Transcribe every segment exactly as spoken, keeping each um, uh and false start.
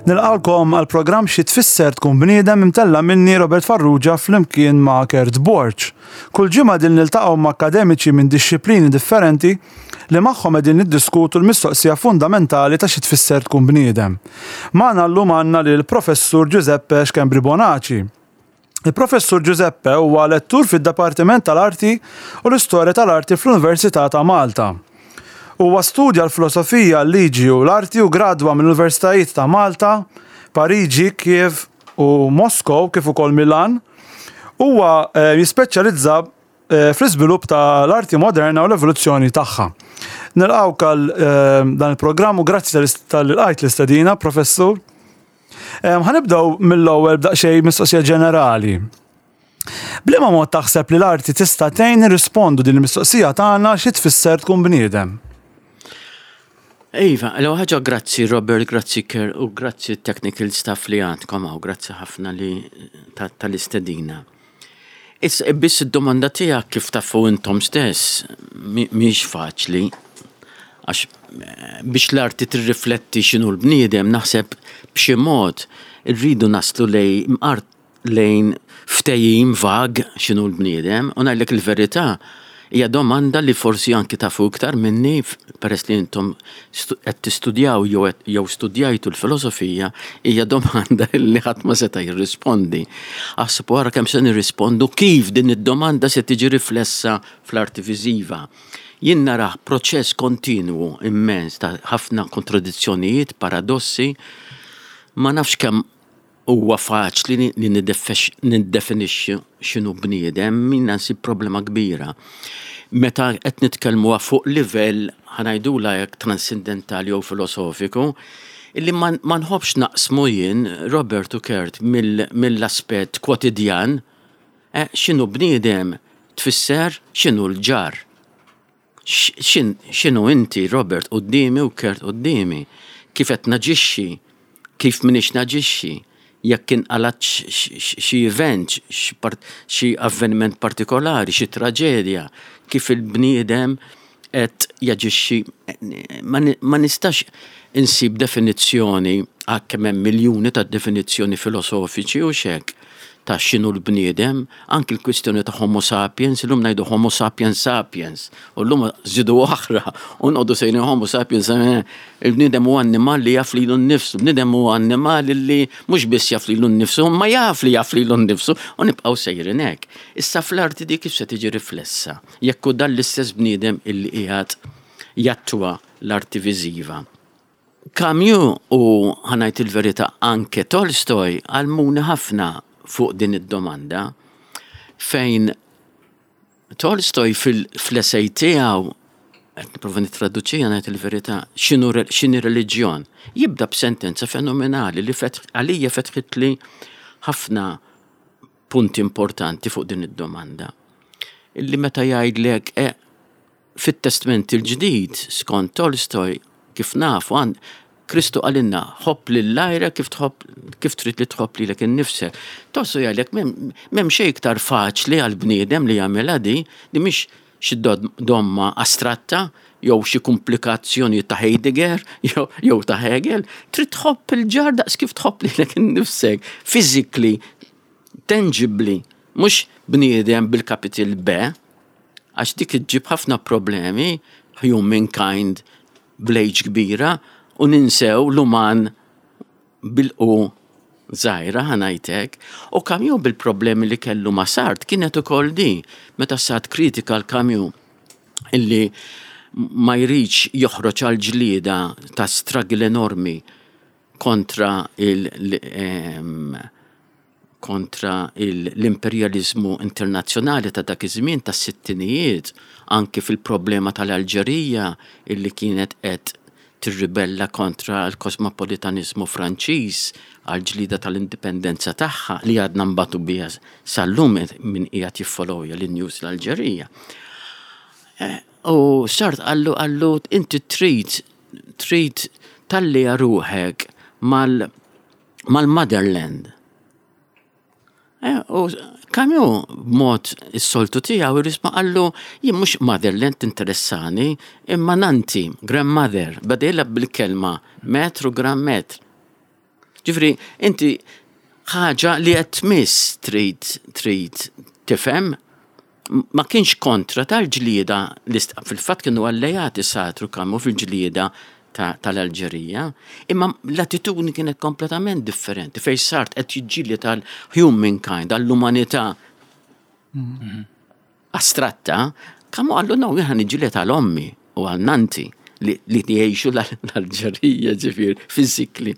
Nilqagħkom għal programm Xi Tfisser Tkun Bniedem, imtella' minni, Robert Farrugia, flimkien ma' Kurt Borg. Kull ġimgħa din niltaqgħu ma' akademiċi minn dixxiplini differenti li magħhom qegħdin niddiskutu l-mistoqsija fundamentali ta' xi tfisser tkun bniedem. Magħna llum għandna lil Professur Giuseppe Schembri Bonaci. Il-Professur Giuseppe huwa lettur fid-Dipartiment tal-Arti u l-Istorja tal-Arti fl-Università ta' Malta. Huwa studja l-filosofija, l-liġi u l-arti u gradwa mill-Universitajiet ta' Malta, Pariġi, Kiev u Moskow, kif ukoll Milan. Huwa eh, jispeċjalizza eh, fl-iżvilupp tal-arti moderna u l-evoluzzjoni tagħha. Nilqgħuk għal eh, dan il-programm u grazzi talli lqajt l-istedina, Professur. Ħa nibdew mill-ewwel b'daqsxejn mistoqsija ġenerali. B'liema mod taħseb li l-arti tista' tgħin nirrispondu din il-mistoqsija tagħna, xi tfisser tkun bniedem? Iva, l ħaġa, grazzi Robert, grazzi Kurt u grazzi technical staff li għandkom għaw, grazzi ħafna li tal-istedina. Issa, biss id-domanda tiegħek, kif tafu intom stess, mhix faċli. Għax eh, biex l-arti tirrifletti x'inhu l-bniedem, naħseb b'xi mod irridu naslu lejn art lejn ftehim vag x'inhu l-bniedem, u ngħidlek il-verità, hija domanda li forsi anki tafu iktar minni peress li intom qed tistudjaw jew jew studjajtu l-filosofija, hija domanda li ħadd ma seta' jirrispondi. Aħseb wara kemm se nirrispondu kif din id-domanda se tiġi riflessa fl-arti viżiva. Jien narah proċess kontinwu immens ta' ħafna kontradizzjonijiet, paradossi, ma nafx kemm huwa faċli li niddefinixxi x'inhu bniedem, minna nsib problema kbira. Meta qed nitkellmu fuq livell, ħa ngħidula hekk, transcendentali jew filosofiku, illi ma nħobbx naqsmu jien, Robert u Kurt, mill-aspett kwotidjan, eh, x'inhu bniedem tfisser x'inhu l-ġar. X'inhu inti, Robert, quddiemi u Kurt quddiemi? Kif qed naġixxi, kif m'iniex naġixxi, jekk inqalat xi event, xi avveniment partikolari, xi traġedja, kif il-bniedem qed jaġixxi. Ma nistax insib definizzjoni, għalkemm hemm miljuni ta' definizzjoni filosofiċi u xek ta' x'inhu l-bniedem, anki l-kwistjoni ta' Homo sapiens, illum ngħidu Homo sapiens sapiens, u llum żidu oħra, u noqogħdu sejrin Homo sapiens, eh, il-bniedem huwa annimal li jaf lilu nnifsu, il-bniedem huwa annimal li mhux biss jaf lilu nnifsu, ma jaf li jaf lilu nnifsu, u nibqgħu sejrin hekk. Issa fl-arti di kif se tiġi riflessa, jekk hu dan l-istess bniedem illi qiegħed jattwa l-arti viżiva? Camus u, ħa ngħid il-verità, anke Tolstoj għallmuni ħafna fuq din id-domanda, fejn Tolstoj fil-essay tiegħu, qed nipprova nittraduċija, ngħid il-verità, x'inhu x'inhi reliġjon, jibda b'sentenza fenomenali li għalija fetħitli ħafna punti importanti fuq din id-domanda. Illi meta jgħidlek eh, fit-Testament il-Ġdid, skont Tolstoj, kif nafu, għand Kristu qalilna ħobb lil għajrek kif tħobb kif trid li tħobb lilek innifsek. Tolstoj jgħidlek m'hemm xejn iktar faċli għal bniedem li jagħmilha di, di mhix xi domma astratta jew xi komplikazzjoni ta' Heidegger jew ta' Hegel, trid tħobb il-ġar daqs kif tħobb lilek innifsek, physically, tangibly, mhux bniedem bil-capital B, għax dik iġġib ħafna problemi, humankind bl-H kbira, u ninsew l-uman bil-U żgħira, ħa ngħidlek. U Camus bil-problemi li kellu ma' Sartre kienet ukoll di, meta Sartre kritika l-Camus illi ma jridx joħroġ għal ġlieda ta' struggle enormi kontra il- kontra l-imperjalizmu internazzjonali ta' dak iż-żmien tas-sittinijiet, anki fil-problema tal-Alġerija illi kienet qed tirribella kontra l-kosmopolitanizmu Franċiż għal ġlida tal-indipendenza tagħha li għadna nbatu biha sal-lum, min qiegħed jiffollowja l-news l-Alġerija. Eh, u Sartre qallu qallu inti trid trid tallija ruħek mal mal-motherland. Eh, u Camus b'mod is-soltu tiegħu irrisma qallu jien mhux motherland tinteressani imma nanti, grandmother, beda jilgħab bil-kelma maître u grand-mère. Ġifieri, inti ħaġa li qed tmiss trid trid tifhem ma kienx kontra tal-ġlieda, fil-fatt kienu allejati Sartre u Camus fil-ġlieda tal-Alġerija, imma l-attitudni kienet kompletament differenti, fejn Sartre qed jiġġieled tal-humankind, għall-umanità astratta, Camus qallu no, jien niġġieled għal ommi u għal nannti li jgħixu l-Alġerija, ġifieri, physically.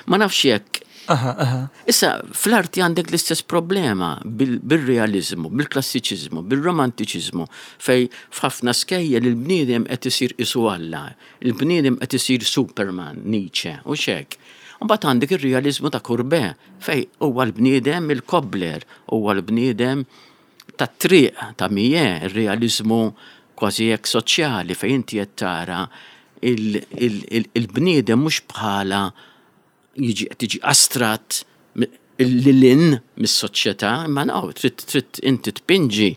Ma nafx jekk. Issa, fl-arti għandek l-istess problema bil-realizmu, bil-klassiċizmu, bil-romantiċizmu, fejn f'ħafna skejjel il-bniedem qed isir qisu Alla, il-bniedem qed isir Superman, Nietzsche, u hekk. Mbagħad għandek ir-realizmu ta' Courbet, fejn huwa l-bniedem il-cobbler, huwa l-bniedem tat-triq ta' Millet, il-realizmu kważi hekk soċjali, fejn inti qed tara il-bniedem mhux bħala jiġi tiġi astratt lil mis-soċjetà, imma no, trid trid inti tpinġi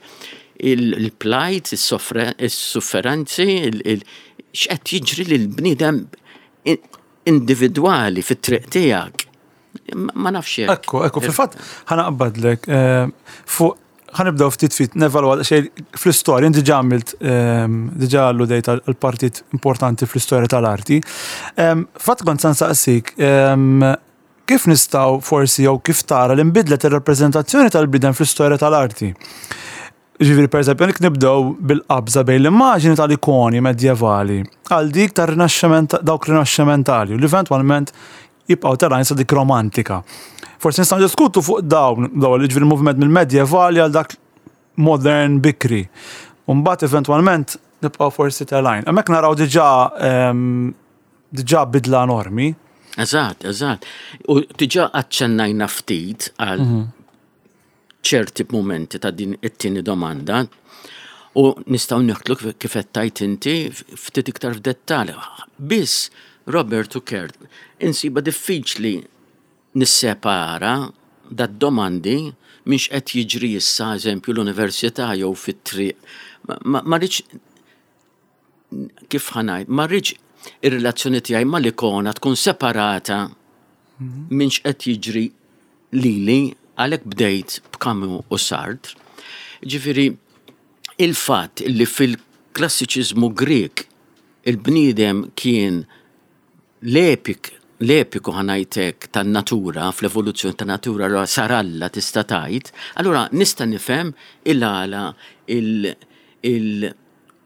il-plight, is-sofferenzi, x'qed jiġri lil bniedem individwali fit-triq tiegħek. Ma nafx hekk. Ekku, ekku, fil-fatt ħa naqbadlek eh, fuq ħa nibdew ftit ftit nevalwa xejn fl-istorja, inti diġà għamilt ehm, diġà alludejt għal partit importanti fl-istorja tal-arti. Ehm, fatt kont se nsaqsik, ehm, kif nistgħu forsi jew kif tara li nbidlet ir-rappreżentazzjoni tal-bniedem fl-istorja tal-arti? Ġifieri, per eżempju, nek nibdew bil-qabża bejn l-immaġini tal-ikoni medjevali għal dik tar-rinaxximent, dawk rinaxximentali, u li eventwalment jibqgħu telgħin sa dik romantika. Forsi nistgħu diskutu fuq dawn, dawn li ġifieri movement mill-medjevali għal dak modern bikri. U mbagħad eventwalment nibqgħu forsi telgħin. Hemmhekk naraw diġà ehm, diġà bidla enormi. Eżatt, eżatt. U diġà aċċennajna ftit għal ċerti momenti ta' din it-tieni domanda u nistgħu nidħlu kif qed tgħid inti ftit iktar f'dettall. Biss Robert u Kurt, insiba diffiċli nissepara dad-domandi minn x'qed jiġri issa, eżempju, l-università jew fit-triq. Ma ma rridx, kif ħa ngħid, ma rridx ir-relazzjoni tiegħi mal-ikona tkun separata minn x'qed jiġri lili, għalhekk bdejt b'Camus u Sartre. Ġifieri, il-fatt li fil-klassiċiżmu Grek il-bniedem kien l-epik, l-epiku, ħa ngħidlek, tan-natura, fl-evoluzzjoni tan-natura, allura sar Alla, tista' tgħid, allura nista' nifhem il-għala il- il-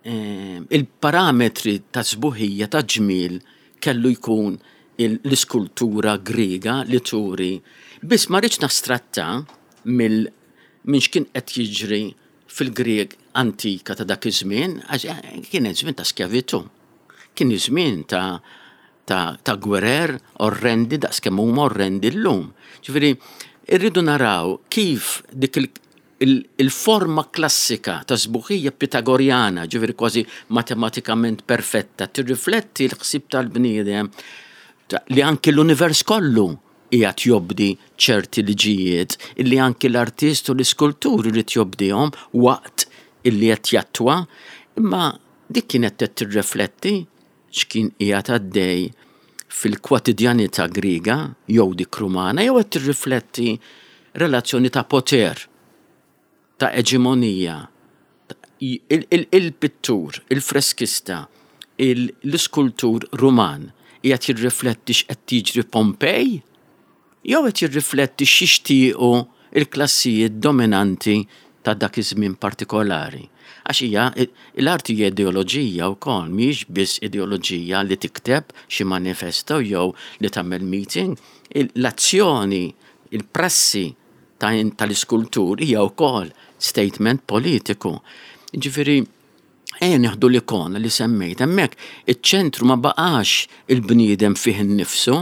eh, il-parametri ta' sbuħija, ta' ġmil kellu jkun l-iskultura Griega li turi. Biss ma rridx nastratta mill minn x'kien qed jiġri fil-Grieg antika ta' dak iż-żmien, għax eh, kien żmien ta' skjavitu. Kien iż-żmien ta' ta', ta' gwerer orrendi daqs kemm huma orrendi llum. Ġifieri, irridu naraw kif dik il- il- il-forma klassika ta' sbuħija pitagorjana, ġifieri kważi matematikament perfetta, tirrifletti l-ħsieb tal-bniedem ta- li anki l-univers kollu qiegħed jobdi ċerti liġijiet illi anki l-artist u l-iskultur irid jobdihom waqt illi qed jattwa, imma dik kienet qed tirrifletti x'kien qiegħed għaddej fil-kwotidjanità Griega jew dik Rumana, jew qed tirrifletti relazzjoni ta' poter, ta' eġemonija. Il-pittur, il-freskista, l-iskultur Ruman qiegħed jirrifletti x'qed jiġri Pompej jew qed jirrifletti x'jixtiequ il-klassijiet dominanti ta' dak iż-żmien partikolari? Għax hija l-arti hija ideoloġija wkoll, mhijiex biss ideoloġija li tikteb xi manifesto jew li tagħmel meeting. L-azzjoni, il-prassi tal-iskultur hija wkoll statement politiku. Ġifieri, ejja nieħdu l-ikona li semmejt, hemmhekk iċ-ċentru ma baqax il-bniedem fih innifsu,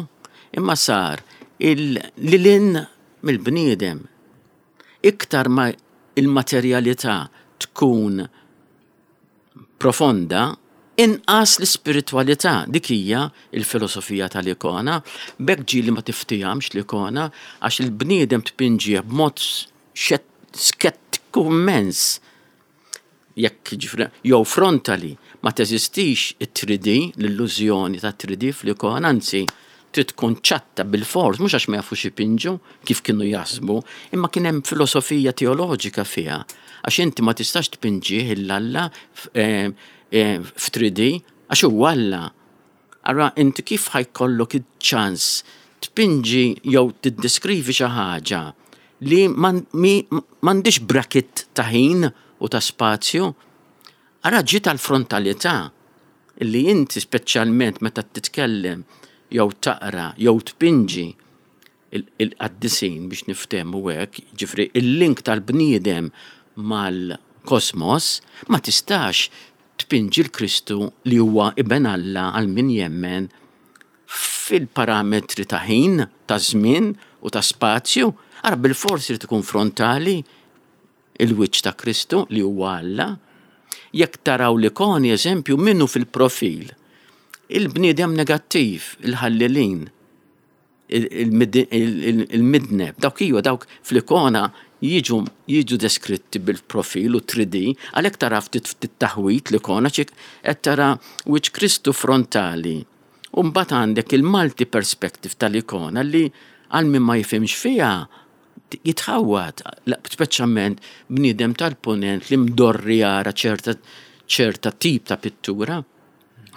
imma sar il-lilin mill-bniedem. Iktar ma il-materjalità tkun profonda, inqas l-ispiritualità. Dik hija il-filosofija tal-ikona. B'hekk ġieli ma tiftihomx l-ikona, għax il-bniedem tpinġih b'mod skettiku immens. Jekk ġifri, jew frontali, ma teżistix it-three D, l-illużjoni ta' three D fl-ikona, anzi, Trid tkun ċatta bil-fors, mhux għax ma jafux ipinġu kif kienu jaħsbu, imma kien hemm filosofija teoloġika fiha. Għax inti ma tistax tpinġih 'l Alla f'three D, għax huwa Alla. Ara inti kif ħa jkollok iċ-ċans tpinġi jew tiddeskrivi xi ħaġa li m'għandix bracket ta' ħin u ta' spazju? Ara ġiet tal-frontalità li inti, speċjalment meta titkellem jew taqra jew tpinġi il-qaddisin, biex niftehmu hekk, ġifieri il-link tal-bniedem mal-kosmos, ma tistax tpinġi l-Kristu li huwa Iben Alla għal min jemmen fil-parametri ta' ħin, ta' żmien u ta' spazju. Ara bil-forsi li tkun frontali il-wiċċ ta' Kristu li huwa Alla. Jekk taraw l-ikoni, eżempju, minnu fil-profil? Il-bniedem negattiv, il-ħallilin, il-midneb, dawk iwa, dawk fl-ikona jiġu jiġu deskritti bil-profil u three D, għalhekk tara ftit ftit taħwit l-ikona, ċik qed tara wiċċ Kristu frontali. U mbagħad għandek il-multi perspective tal-ikona li għal min ma jifhimx fiha jitħawat, speċjalment bniedem tal-ponent li mdorri jara ċerta ċerta tip ta' pittura.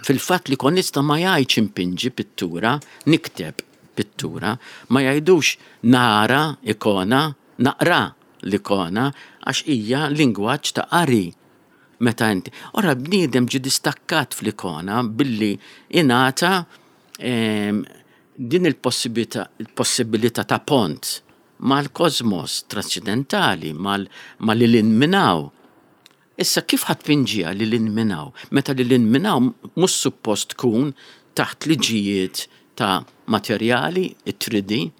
Fil-fatt li konista ma jgħidx impinġi pittura, nikteb pittura, ma jgħidux nara ikona, naqra l-ikona, għax hija lingwaġġ ta' qari. Meta inti. Ora bniedem ġi distakkat fl-ikona billi ingħata ehm, din il-possibilità ta' pont mal-kosmos trascendentali, mal-lil hinn minn hawn. Issa kif ħa tpinġiha lil hinn minn hawn? Meta lil hinn minn hawn mhux suppost tkun taħt liġijiet ta' materjali, it-three D.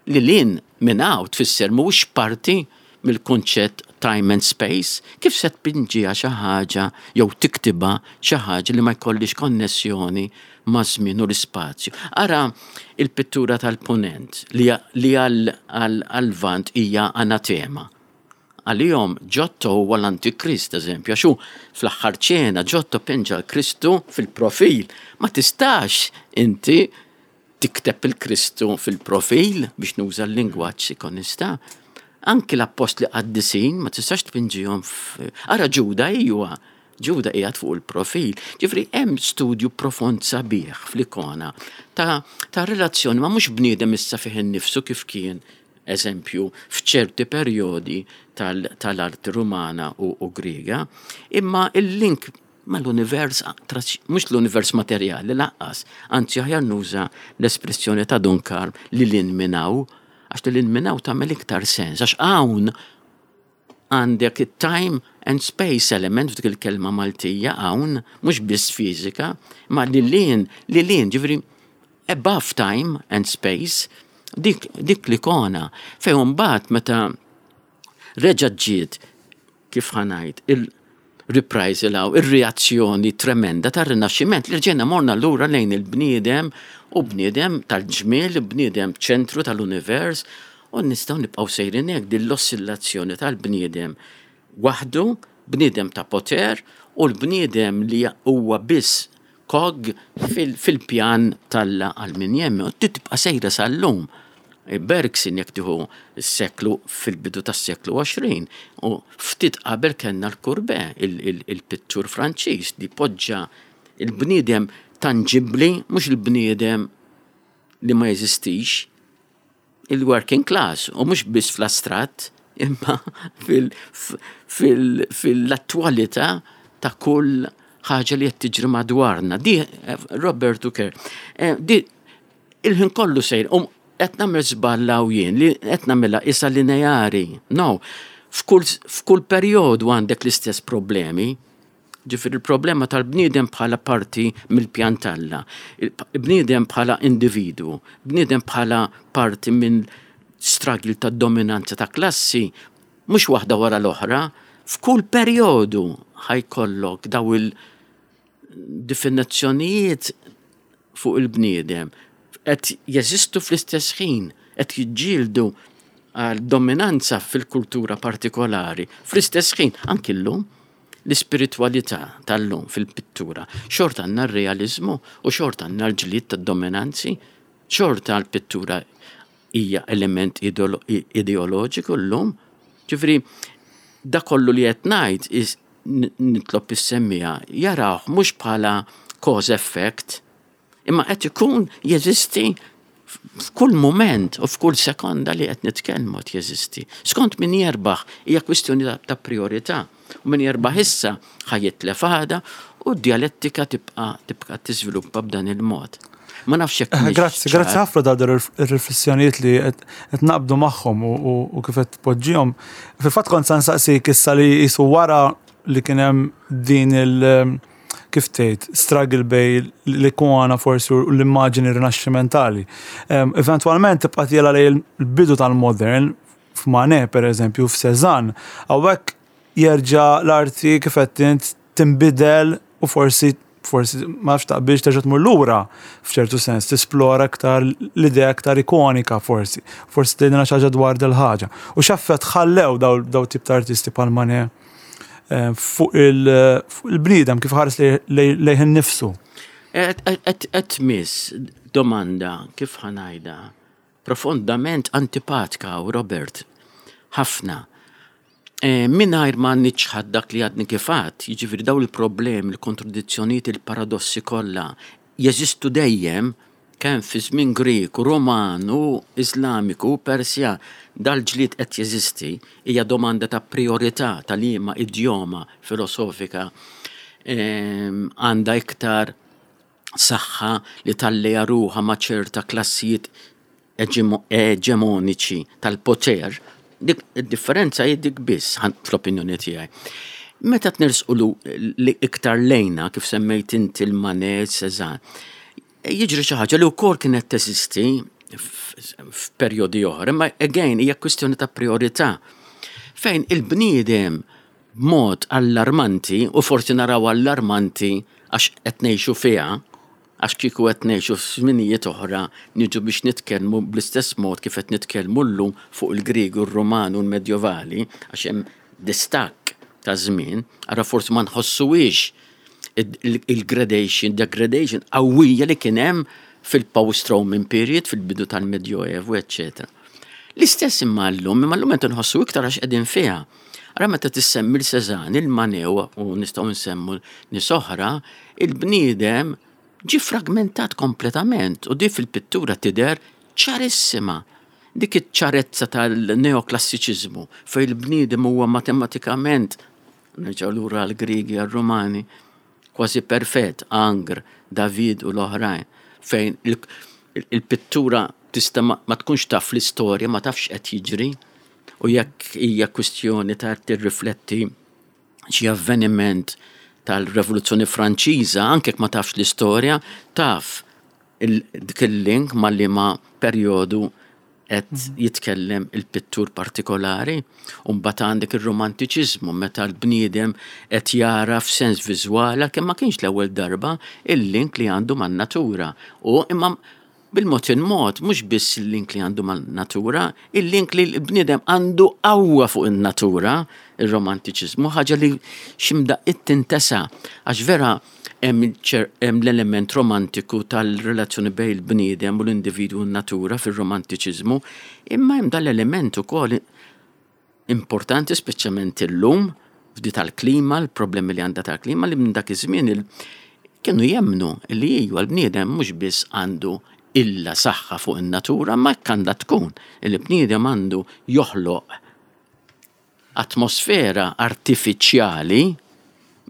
Lil hinn minn hawn tfisser mhuwiex parti mill-kunċett time and space. Kif se tpinġiha xi ħaġa jew tiktibha xi ħaġa li ma jkollix konnessjoni ma' żmien u l-ispazju? Ara il-pittura tal-ponent li għal-Lvant hija anatema. Għalihom Giotto huwa l-Antikrist, eżempju, għax hu fl-Aħħar Ċena Giotto pinġa l-Kristu fil-profil. Ma tistax inti tikteb il-Kristu fil-profil, biex nuża l-lingwaġġ ikonista. Anki l-appostli qaddisin ma tistax tpinġihom. Ara Ġuda, ijwa, Ġuda qiegħed fuq il-profil. Ġifieri hemm studju profond sabiħ fl-ikona ta', ta relazzjoni ma mhux bniedem issa fih innifsu kif kien, eżempju, f'ċerti perjodi tal-arti Rumana u, u Griega, imma il-link mal-univers, mhux l-univers materjali lanqas, anzi aħjar nuża l-espressjoni ta' Dun Karm, lil hinn minn hawn, għax lil hinn minn hawn tagħmel iktar sens, għax hawn għandek time and space element f'dik il-kelma Maltija hawn, mhux biss fiżika, ma lil hinn, lil hinn, ġifieri above time and space, dik, dik l-ikona, fejn mbagħad meta reġa' ġiet, kif ħa ngħid, il-reprisal, il-reazzjoni tremenda tar-Rinaxximent li rġejna morna lura lejn il-bniedem u bniedem tal-ġmiel, bniedem ċentru tal-univers, u nistgħu nibqgħu sejrin hekk din l-ossillazzjoni tal-bniedem waħdu, bniedem ta' poter u l-bniedem li huwa biss cog fil-pjan t'Alla għal min jemmen. U tibqa' sejra sal-lum. Bergson, jekk tieħu s-seklu, fil-bidu tas-seklu għoxrin, u ftit qabel kellna l-Courbet, il-pittur Franċiż li poġġa il-bniedem tangibli, mhux il-bniedem li ma jeżistix, il-working class, u mhux biss fl-astratt, imma fil-attualità ta' kull ħaġa li qed tiġri madwarna. Di Robert Tucker, eh, di il-ħin kollu sejr, um qed nagħmel żball jien li qed nagħmilha issa lineari. No, f'kull perjodu għandek l-istess problemi. Ġifieri il-problema tal-bniedem bħala parti mill-pjan t'Alla, bniedem bħala individu, bniedem bħala parti minn struggle ta' dominanza ta' klassi, mhux waħda wara l-oħra, f'kull perjodu ħa jkollok daw il-definizzjonijiet fuq il-bniedem qed jeżistu fl-istess ħin, qed jiġġieldu għal dominanza fil-kultura partikolari fl-istess ħin, anki llum. L-ispiritualità tal-lum fil-pittura, xorta għandna r-realizmu u xorta għandna l-ġlied tad-dominanzi, xorta l-pittura hija element ideoloġiku llum. Ġifieri, da kollu li qed ngħid nitlob is-semmiegħa jarawh mhux bħala cause effect, imma qed ikun jeżisti f'kull moment u f'kull sekonda li qed nitkellmu qed jeżisti. Skont min jerbaħ, hija kwistjoni ta' priorità. U min jerbaħ issa ħa jitlef għada u d-dialettika tibqa' tibqa' tiżviluppa b'dan il-mod. Ma nafx jekk. Eh, grazzi, grazzi ħafna da ir-riflessjonijiet li qed naqbdu magħhom u kif qed tpoġġihom. Fil-fatt kont se nsaqsik issa li jisu wara li kien hemm din il- kif tgħid, struggle bejn l-ikona forsi u l-immaġini rinaxximentali. Eventwalment tibqa' tiela lejn il-bidu tal-modern f'Manet, per eżempju, f'Cézanne, hawnhekk jerġa' l-arti, kif qed int, tinbidel u forsi forsi ma nafx taqbilx, terġa' tmur lura f'ċertu sens, tisplora aktar l-idea aktar ikonika forsi. Forsi tgħidilna xi ħaġa dwar dil-ħaġa. U x'effett ħallew daw, daw tip ta' artisti bħal Manet eh, fuq il-bniedem kif ħares lejh innifsu? Qed tmiss domanda, kif ħa ngħidha, profondament antipatika u Robert, ħafna. E, Mingħajr ma niċħad dak li għadni kif għedt, jiġifieri daw il-problemi, il-kontradizzjonijiet, il-paradossi kollha jeżistu dejjem, kemm fi żmien Grek, u Roman u Iżlamiku u Persja, dal-ġlied qed jeżisti, hija domanda ta' priorità ta' liema idjoma filosofika għandha iktar saħħa li talleja ruħha ma' ċerta klassijiet eġemoniċi tal-poter. Dik id-differenza hi dik biss fl-opinjoni tiegħi. Meta tnersqu li iktar lejna, kif semmejt inti il-Manet, Cézanne, jiġri xi ħaġa li wkoll kienet teżisti f'perjodi oħra, imma again hija kwistjoni ta' priorità. Fejn il-bniedem b'mod allarmanti, u forsi naraw allarmanti għax qed ngħixu fiha, għax kieku qed ngħixu f'żminijiet oħra niġu biex nitkellmu bl-istess mod kif qed nitkellmu llum fuq il-Grieg u r-Roman u l-Medjovali, għax hemm distakk ta' żmien, ara forsi ma nħossuhiex il-gradation, degradation qawwija li kien hemm fil-post-Roman period, fil-bidu tal-Medjoevu, eccetera. L-istess imma llum, imma llum qed nħossu iktar għax qegħdin fiha. Ara meta tissemmi l-Cézanne, il-Manet u nistgħu nsemmu nies oħra, il-bniedem ġi fragmentat kompletament u di fil-pittura tidher ċarissima. Dik iċ-ċarezza tal-neoklassiċiżmu fejn il-bniedem huwa matematikament, nerġgħu lura għall-Griegi, għall-Rumani, kważi perfett, Ingres, David u l-oħrajn, fejn il-pittura tista' ma tkunx taf l-istorja, ma tafx qed jiġri, u jekk hija kwistjoni ta' tirrifletti xi avveniment tal-Revoluzzjoni Franċiża, anke jekk ma tafx l-istorja, taf dik il-link ma' liema perjodu qed jitkellem il-pittur partikolari. U mbagħad għandek ir-romantiċiżmu meta l-bniedem qed jara f'sens viżwali, kemm ma kienx l-ewwel darba, il-link li għandu man-natura. U imma bil-mod il-mod, mhux biss il-link li għandu man-natura, il-link li l-bniedem għandu qawwa fuq in-natura, il-romantiċiżmu, ħaġa li x'imdaqqiet tintesa, għax vera hemm l-element romantiku tal-relazzjoni bejn il-bniedem u l-individwu u n-natura fir-romantiċiżmu, imma hemm dal-element ukoll importanti, speċjalment illum, f'di tal-klima, l-problemi li għandha tal-klima, li minn dak iż-żmien kienu jemmnu li iva, l-bniedem mhux biss għandu illa saħħa fuq in-natura, ma hekk għandha tkun. Il-bniedem għandu joħloq atmosfera artifiċjali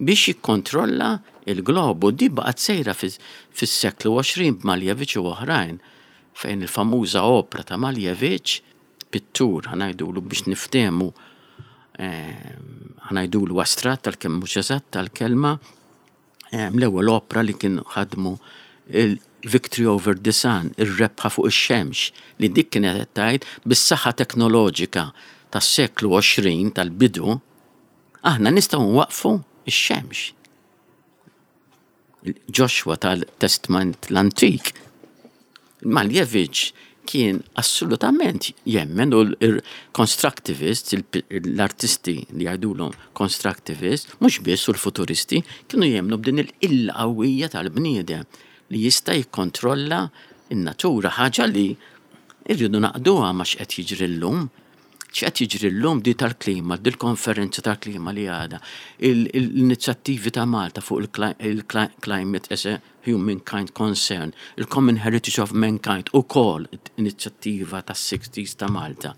biex jikkontrolla il-globu. Di baqgħet sejra fis-seklu għoxrin b'Malevich u oħrajn, fejn il-famuża opra ta' Malevich, pittur, ħa ngħidulu biex niftehmu, eh, ħa ngħidulu astratt tal-kemm mhux eżatt tal-kelma, eh, l-ewwel opra li kien ħadmu, il-Victory over the Sun, ir-rebħa fuq ix-xemx, li dik kienet qed tgħid bis-saħħa teknoloġika tas-seklu għoxrin tal-bidu, aħna nistgħu nwaqfu ix-xemx. Joshua tal-Testament l-Antik. Malevich Kien assolutament jemmen u l-constructivist, l-artisti li jgħidulhom constructivist, mhux biss, u l-futuristi, kienu jemmnu b'din il-qilla qawwija tal-bniedem li jista' jikkontrolla in-natura, ħaġa li irridu ngħaqqduha ma' x'qed jiġri llum. X'qed jiġri llum di tal-klima, dil-konferenza tal-klima li għada, l-inizjattivi ta' Malta fuq il-climate as a humankind concern, il-Common Heritage of Mankind, u kol inizjattiva ta' sixties ta' Malta,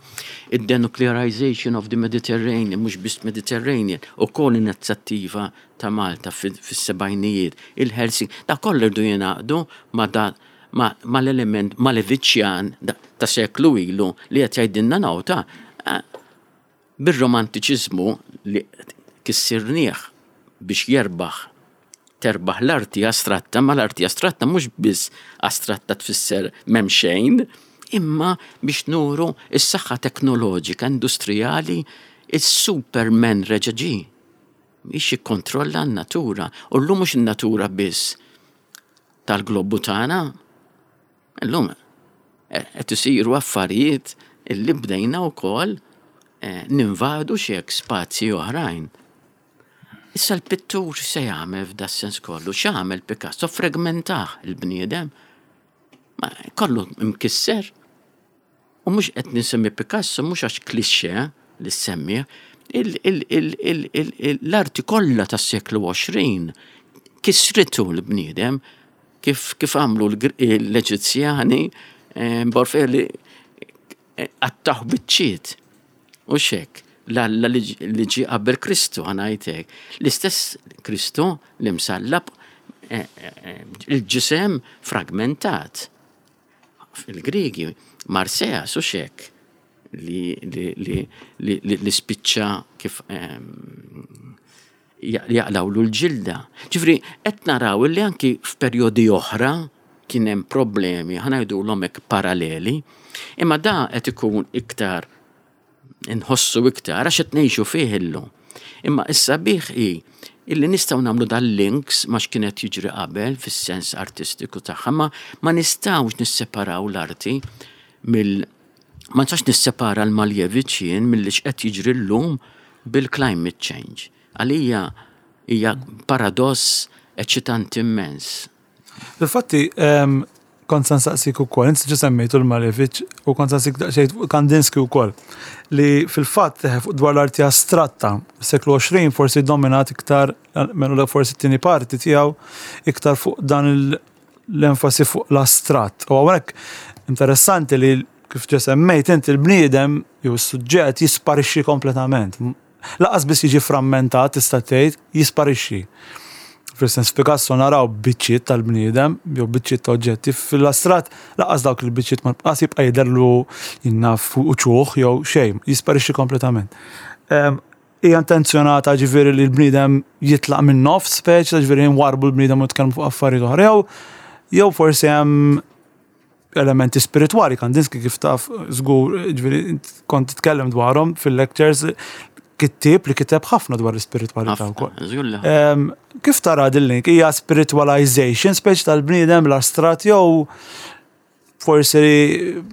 il-denuclearization of the Mediterranean, mhux biss Mediterranean, u kol inizjattiva ta' Malta fis-sebgħinijiet, il-Helsinki, da kollu rridu jingħaqdu ma' da ma l-element Maleviċjan ta' seklu ilu li qed jgħidilna nawta bir-romantiċiżmu li kissirnieh biex jerbaħ terbaħ l-arti astratta, ma l-arti astratta mhux biss astratta tfisser m'hemm xejn, imma biex nuru is-saħħa teknoloġika industrijali, il-Superman reġa' ġie biex jikkontrolla n-natura. U llum mhux in-natura biss tal-globu tagħna, illum qed isiru affarijiet illi bdejna wkoll eh, ninvadu xi spazji oħrajn. Issa l-pittur se jagħmel f'da sens kollu? X'għamel Picasso? Fragmentah il-bniedem. Ma kollu mkisser. U mhux qed nisemmi Picasso mhux għax cliché li semmi, l-arti kollha tas-seklu għoxrin kisritu l-bniedem kif kif għamlu l-Eġizzjani eh, Borfeli qattgħuh biċċiet. U xek, l-Alla li ġie qabel Kristu, ħa ngħidlek. L-istess Kristu li msallab, eh, eh, il-ġisem fragmentat. Il-Grigi, Marseas u xek, li, li, li, li, li, li spiċċa kif jaqlawlu l-ġilda. Ġifieri, qed naraw li anki f'perjodi oħra kien hemm problemi, ħa ngħidulhom hekk, paralleli, imma da qed ikun iktar inħossu iktar għax qed ngħixu fih illum. Imma issa bih hi illi nistgħu nagħmlu dal-links ma x'kienet jiġri qabel fis-sens artistiku tagħha, ma ma nistgħux nisseparaw l-arti mill ma nistax nissepara l-Malevich jien milli x'qed jiġri llum bil-climate change. Għalija hija paradoss eċitanti immens. Infatti, kont se nsaqsik ukoll, inti ġa semmejtu l-Malevich u kont se nsaqsik daqsxejn fuq Kandinsky ukoll, li fil-fatt dwar l-arti astratta, seklu għoxrin forsi dominat iktar, menu forsi t-tieni parti tiegħu iktar fuq dan l-enfasi fuq l-astratt. U hawnhekk interessanti li kif ġa semmejt inti, l-bniedem jew s-suġġett jisparixxi kompletament. Lanqas biss jiġi frammentat, tista' tgħid, jisparixxi. Fil-sens, Picasso naraw biċċiet tal-bniedem, jew biċċiet ta' oġġetti, fil-astratt lanqas dawk il-biċċiet ma lanqas jibqa' jidherlu jinnaf uċuħ jew xejn, jisparixxi kompletament. Hija intenzjonata, ġifieri, li l-bniedem jitlaq minn nofs speċi, ġifieri nwarbu l-bniedem u tkellmu fuq affarijiet oħra, jew jew forsi hemm elementi spirituali? Kandinsky, kif taf żgur, ġifieri kont titkellem dwarhom fil-lectures, kittib li kiteb ħafna dwar l-spiritualità wkoll. Kif tara din link? Hija spiritualization speċi tal-bniedem l-astratt jew forsi,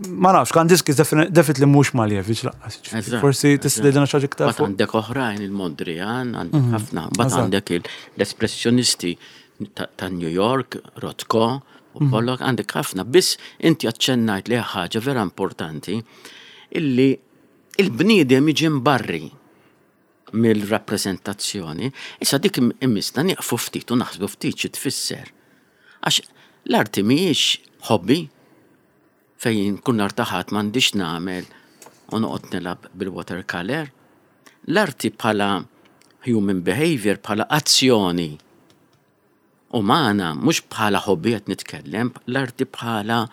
ma nafx, Kandinsky definitely mhux Malevich lanqas. Forsi tista' tgħidilna xi ħaġa iktar. Bat għandek oħrajn, il-Mondrian, għandek mhm. ħafna, bat għandek l-espressjonisti ta' New York, Rothko, u mhm. Pollock, għandek ħafna. Biss inti aċċennajt li ħaġa vera importanti, illi il-bniedem jiġi mbarri mill-rappresentazzjoni. Issa dik imissna nieqfu ftit u naħsbu ftit xi tfisser. Għax l-arti mhijiex hobby fejn kun artaħat m'għandix nagħmel u noqgħod nilgħab bil-watercolor. L-arti bħala human behavior, bħala azzjoni umana, mhux bħala hobby qed nitkellem, l-arti bħala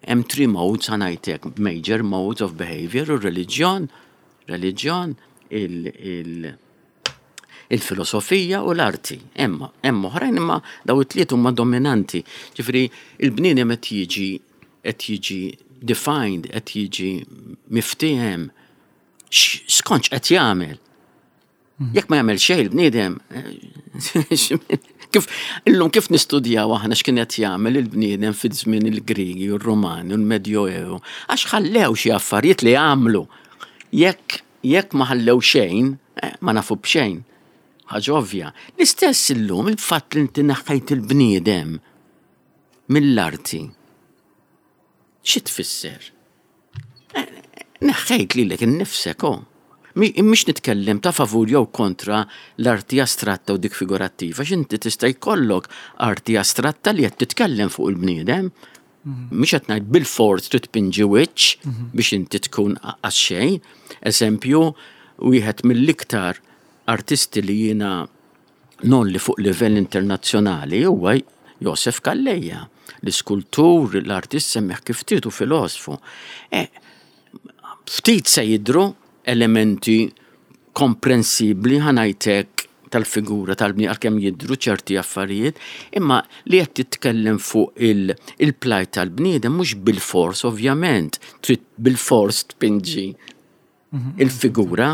hemm three modes, ħa ngħidlek, major modes of behavior, u reliġjon, reliġjon, il-filosofija u l-arti. Emma, hemm oħrajn, imma daw it-tliet huma dominanti. Ġifieri il-bniedem qed jiġi qed jiġi defined, qed jiġi miftiehem skont qed jagħmel. Mhm. Jekk ma jagħmel xejn il-bniedem, Kif illum kif nistudjaw aħna x'kien qed jagħmel il-bniedem fi żmien il-Grigi u r-Rumani u l-Medjoevu, għax ħallew xi affarijiet li għamlu. Jekk jekk ma ħallew xejn, eh, ma nafu b'xejn. Ħaġa ovvja. L-istess illum il-fatt li inti neħħejt il-bniedem mill-arti. Xi tfisser? Eh, neħħejt lilek innifsek, oh. Mhix nitkellem ta' favur jew kontra l-arti astratta u dik figurattiva, x'inti tista' jkollok arti astratta li qed titkellem fuq il-bniedem. Mhix qed ngħid bil-fors trid tpinġi wiċċ biex inti tkun għax xejn. Eżempju, wieħed mill-iktar artisti li jiena ngħolli fuq livell internazzjonali huwa Josef Calleja, l-iskultur, l-artist semmih kif trid u filosofu. E, ftit se jidru elementi komprensibli, ħa ngħidlek, tal-figura tal-bniedem, għalkemm jidru ċerti affarijiet, imma li qed titkellem fuq il-plight tal-bniedem mhux bil-fors, ovvjament, trid bil-fors tpinġi il-figura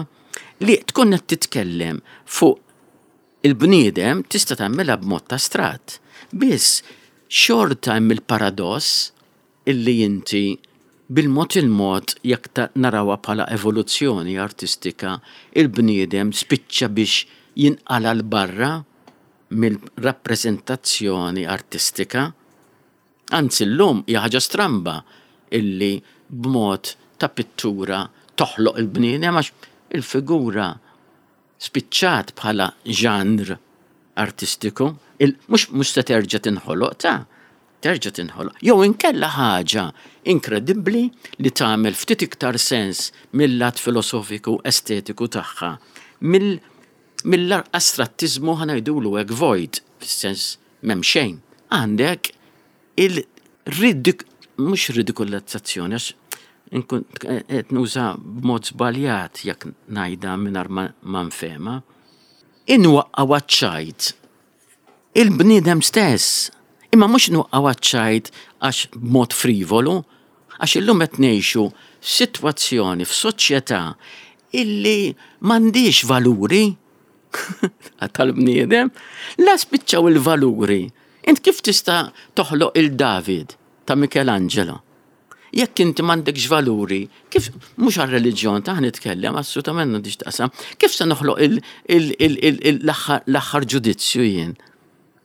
li tkun qed titkellem fuq il-bniedem tista' tagħmilha b'mod astratt. Biss xorta hemm il-paradoss illi inti bil-mod il-mod, jekk narawha bħala evoluzzjoni artistika, il-bniedem spiċċa biex jinqala 'l barra mill-rappreżentazzjoni artistika. Anzi, llum hija ħaġa stramba illi b'mod ta' pittura toħloq il-bniedem, għax il-figura spiċċat bħala ġanr artistiku, mhux mhux se terġa' tinħoloq, ta' terġa' tinħoloq. Jew inkella ħaġa inkredibbli li tagħmel ftit iktar sens mill-lat filosofiku estetiku tagħha mill mill-astrattizmu, ħa ngħidulu hekk, void, fis-sens m'hemm xejn. Għandek il-ridik, mhux ridikolizzazzjoni, għax inkun qed nuża b'mod żbaljat jekk ngħidha mingħajr ma nfehma. Inwaqqgħu għaċ-ċajt il-bniedem stess. Imma mhux nwaqqgħu għaċ-ċajt għax b'mod frivolu, għax illum qed ngħixu f'sitwazzjoni, f'soċjetà illi m'għandix valuri tal-bniedem, la spiċċaw il-valuri. Int kif tista' toħloq il-David ta' Michelangelo? Jekk inti m'għandekx valuri, kif, mhux għar-reliġjon ta' nitkellem, assolutament m'għandix taqsam, kif se noħloq l-aħħar ġudizzju jien?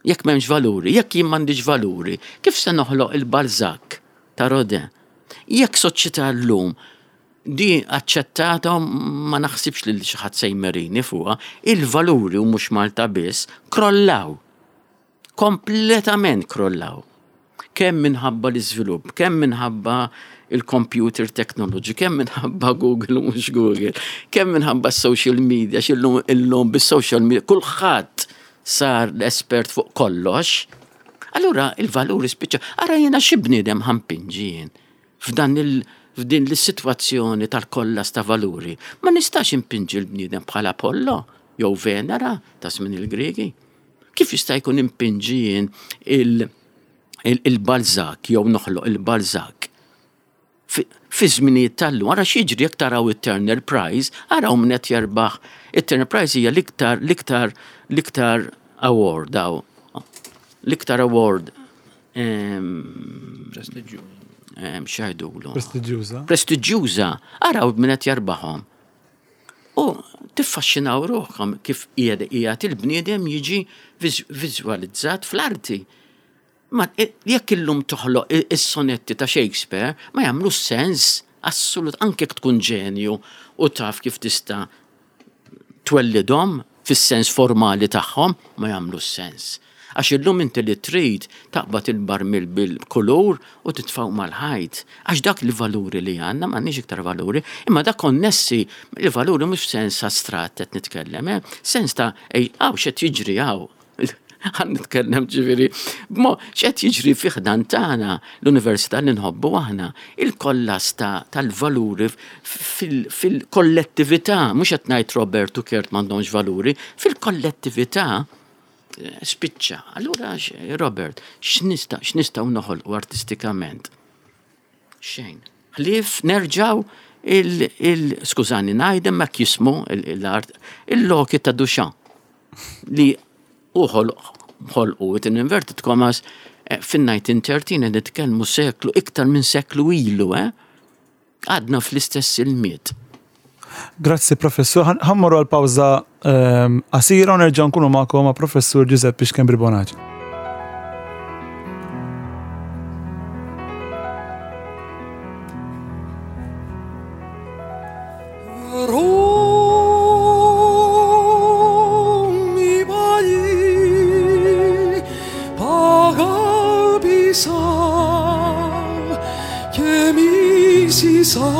Jekk m'hemmx valuri, jekk jien m'għandix valuri, kif se noħloq il-Balzac ta' Rodin? Jekk soċjetà llum di aċċettata, ma naħsibx li xi ħadd se jmerini fuqha, il-valuri, u mhux Malta biss, krollaw. Kompletament krollaw. Kemm minħabba l-iżvilupp, kemm minħabba il-computer technology, kemm minħabba Google u mhux Google, kemm minħabba social media, x'illum illum bis-social media kulħadd sar l-espert fuq kollox. Allura il-valuri spiċċa. Ara jiena xi bniedem ħa npinġi jien f'dan il f'din l-sitwazzjoni tal-kollas ta' valuri? Ma nistax impinġi l-bniedem bħala Apollo jew Venera ta' żmien il-Griegi. Kif jista' jkun impinġi jien il-Balzac jew noħloq il-Balzac fi żminijiet tal-lum? Ara x'jiġri jekk taraw it-Turner Prize, araw min qed jerbaħ. It-Turner Prize hija l-iktar l-iktar l-iktar award daw. L-iktar award x'jgħidulu? Prestiġjuża. Prestiġjuża. Araw min qed jarbaħhom. U tiffaxxinaw ruħkom kif qiegħed il-bniedem jiġi viżwalizzat fl-arti. Ma jekk illum toħloq is-sonetti ta' Shakespeare, ma jagħmlu sens assolut, anke jekk tkun ġenju u taf kif tista' twellidhom fis-sens formali tagħhom, ma jagħmlu sens. Għax illum inti li trid taqbad il-barmil bil-kulur u titfaw mal-ħajt. Għax dak li valuri li għandna, m'għandniex iktar valuri, imma dak konnessi il-valuri mhux f'sens astratt qed nitkellem, eh? Sens ta' ej, hawn x'qed jiġri hawn. Ħa nitkellem ġifieri, b'mo x'qed jiġri fi ħdan tagħna l-università li nħobbu aħna, il-kollas tal-valuri fil-kollettività, mhux qed ngħid Robert u Kurt m'għandhomx valuri, fil-kollettività spiċċa. Allura, Robert, x'nista' x'nistgħu noħolqu artistikament? Xejn. Ħlief nerġaw il, il skużani ngħidem ma jismu l-art, il-Loki ta' Duchamp li uħol ħolqu in inverted commas eh, fin-nineteen thirteen, qed nitkellmu seklu, iktar minn seklu ilu, eh? Għadna fl-istess ilmiet. Grazzi, professur. Ħa mmorru għal pawża ehm, qasira u nerġa' nkunu magħkom ma' professur Giuseppe Schembri Bonaci. Δρόμοι παλιοί π' αγάπησα και μίσησα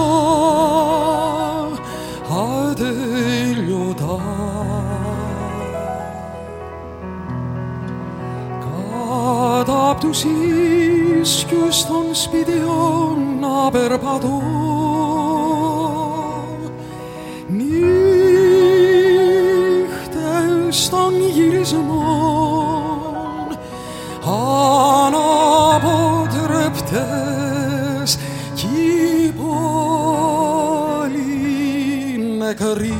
ατέλειωτα. Κάτω απ' τους ίσκιους των σπιτιών να περπατώ, νύχτες των γυρισμών αναποτρεπτές κι η πόλη νεκρή.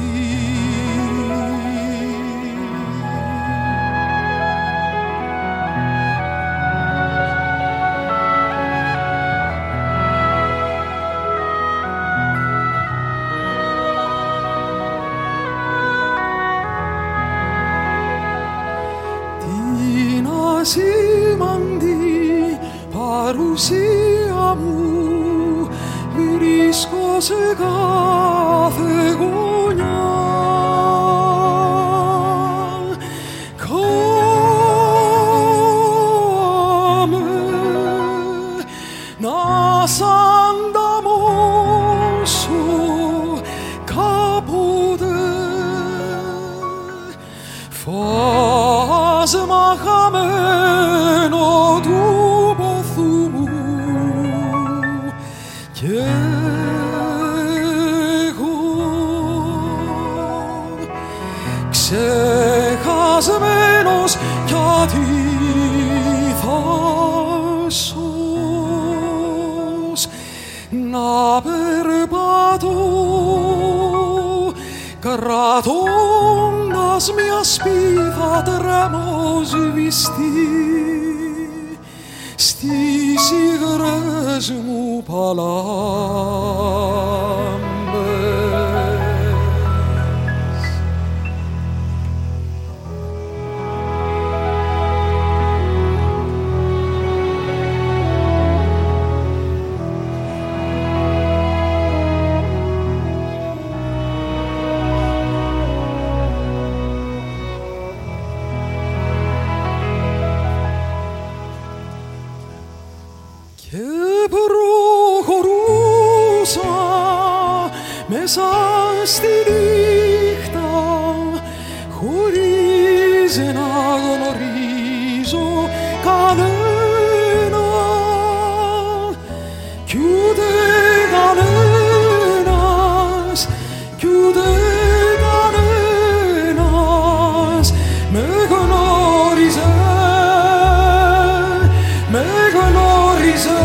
Την ασήμαντη παρουσία μου βρίσκω σε κάθε γωνιά. Κάμε να σ' ανταμώσω κάποτε, φάσμα χαμένο του πόθου μου, κι εγώ ξεχασμένος κι αντίθασος να περπατώ κρατώντας μια σπίθα τρεμοσβηστή στις υγρές μου παλάμπες. Και προχωρούσα μέσα στη νύχτα χωρίς να γνωρίζω κανένα, κι ούτε κανένας, κι ούτε κανένας με γνώριζε, με γνώριζε.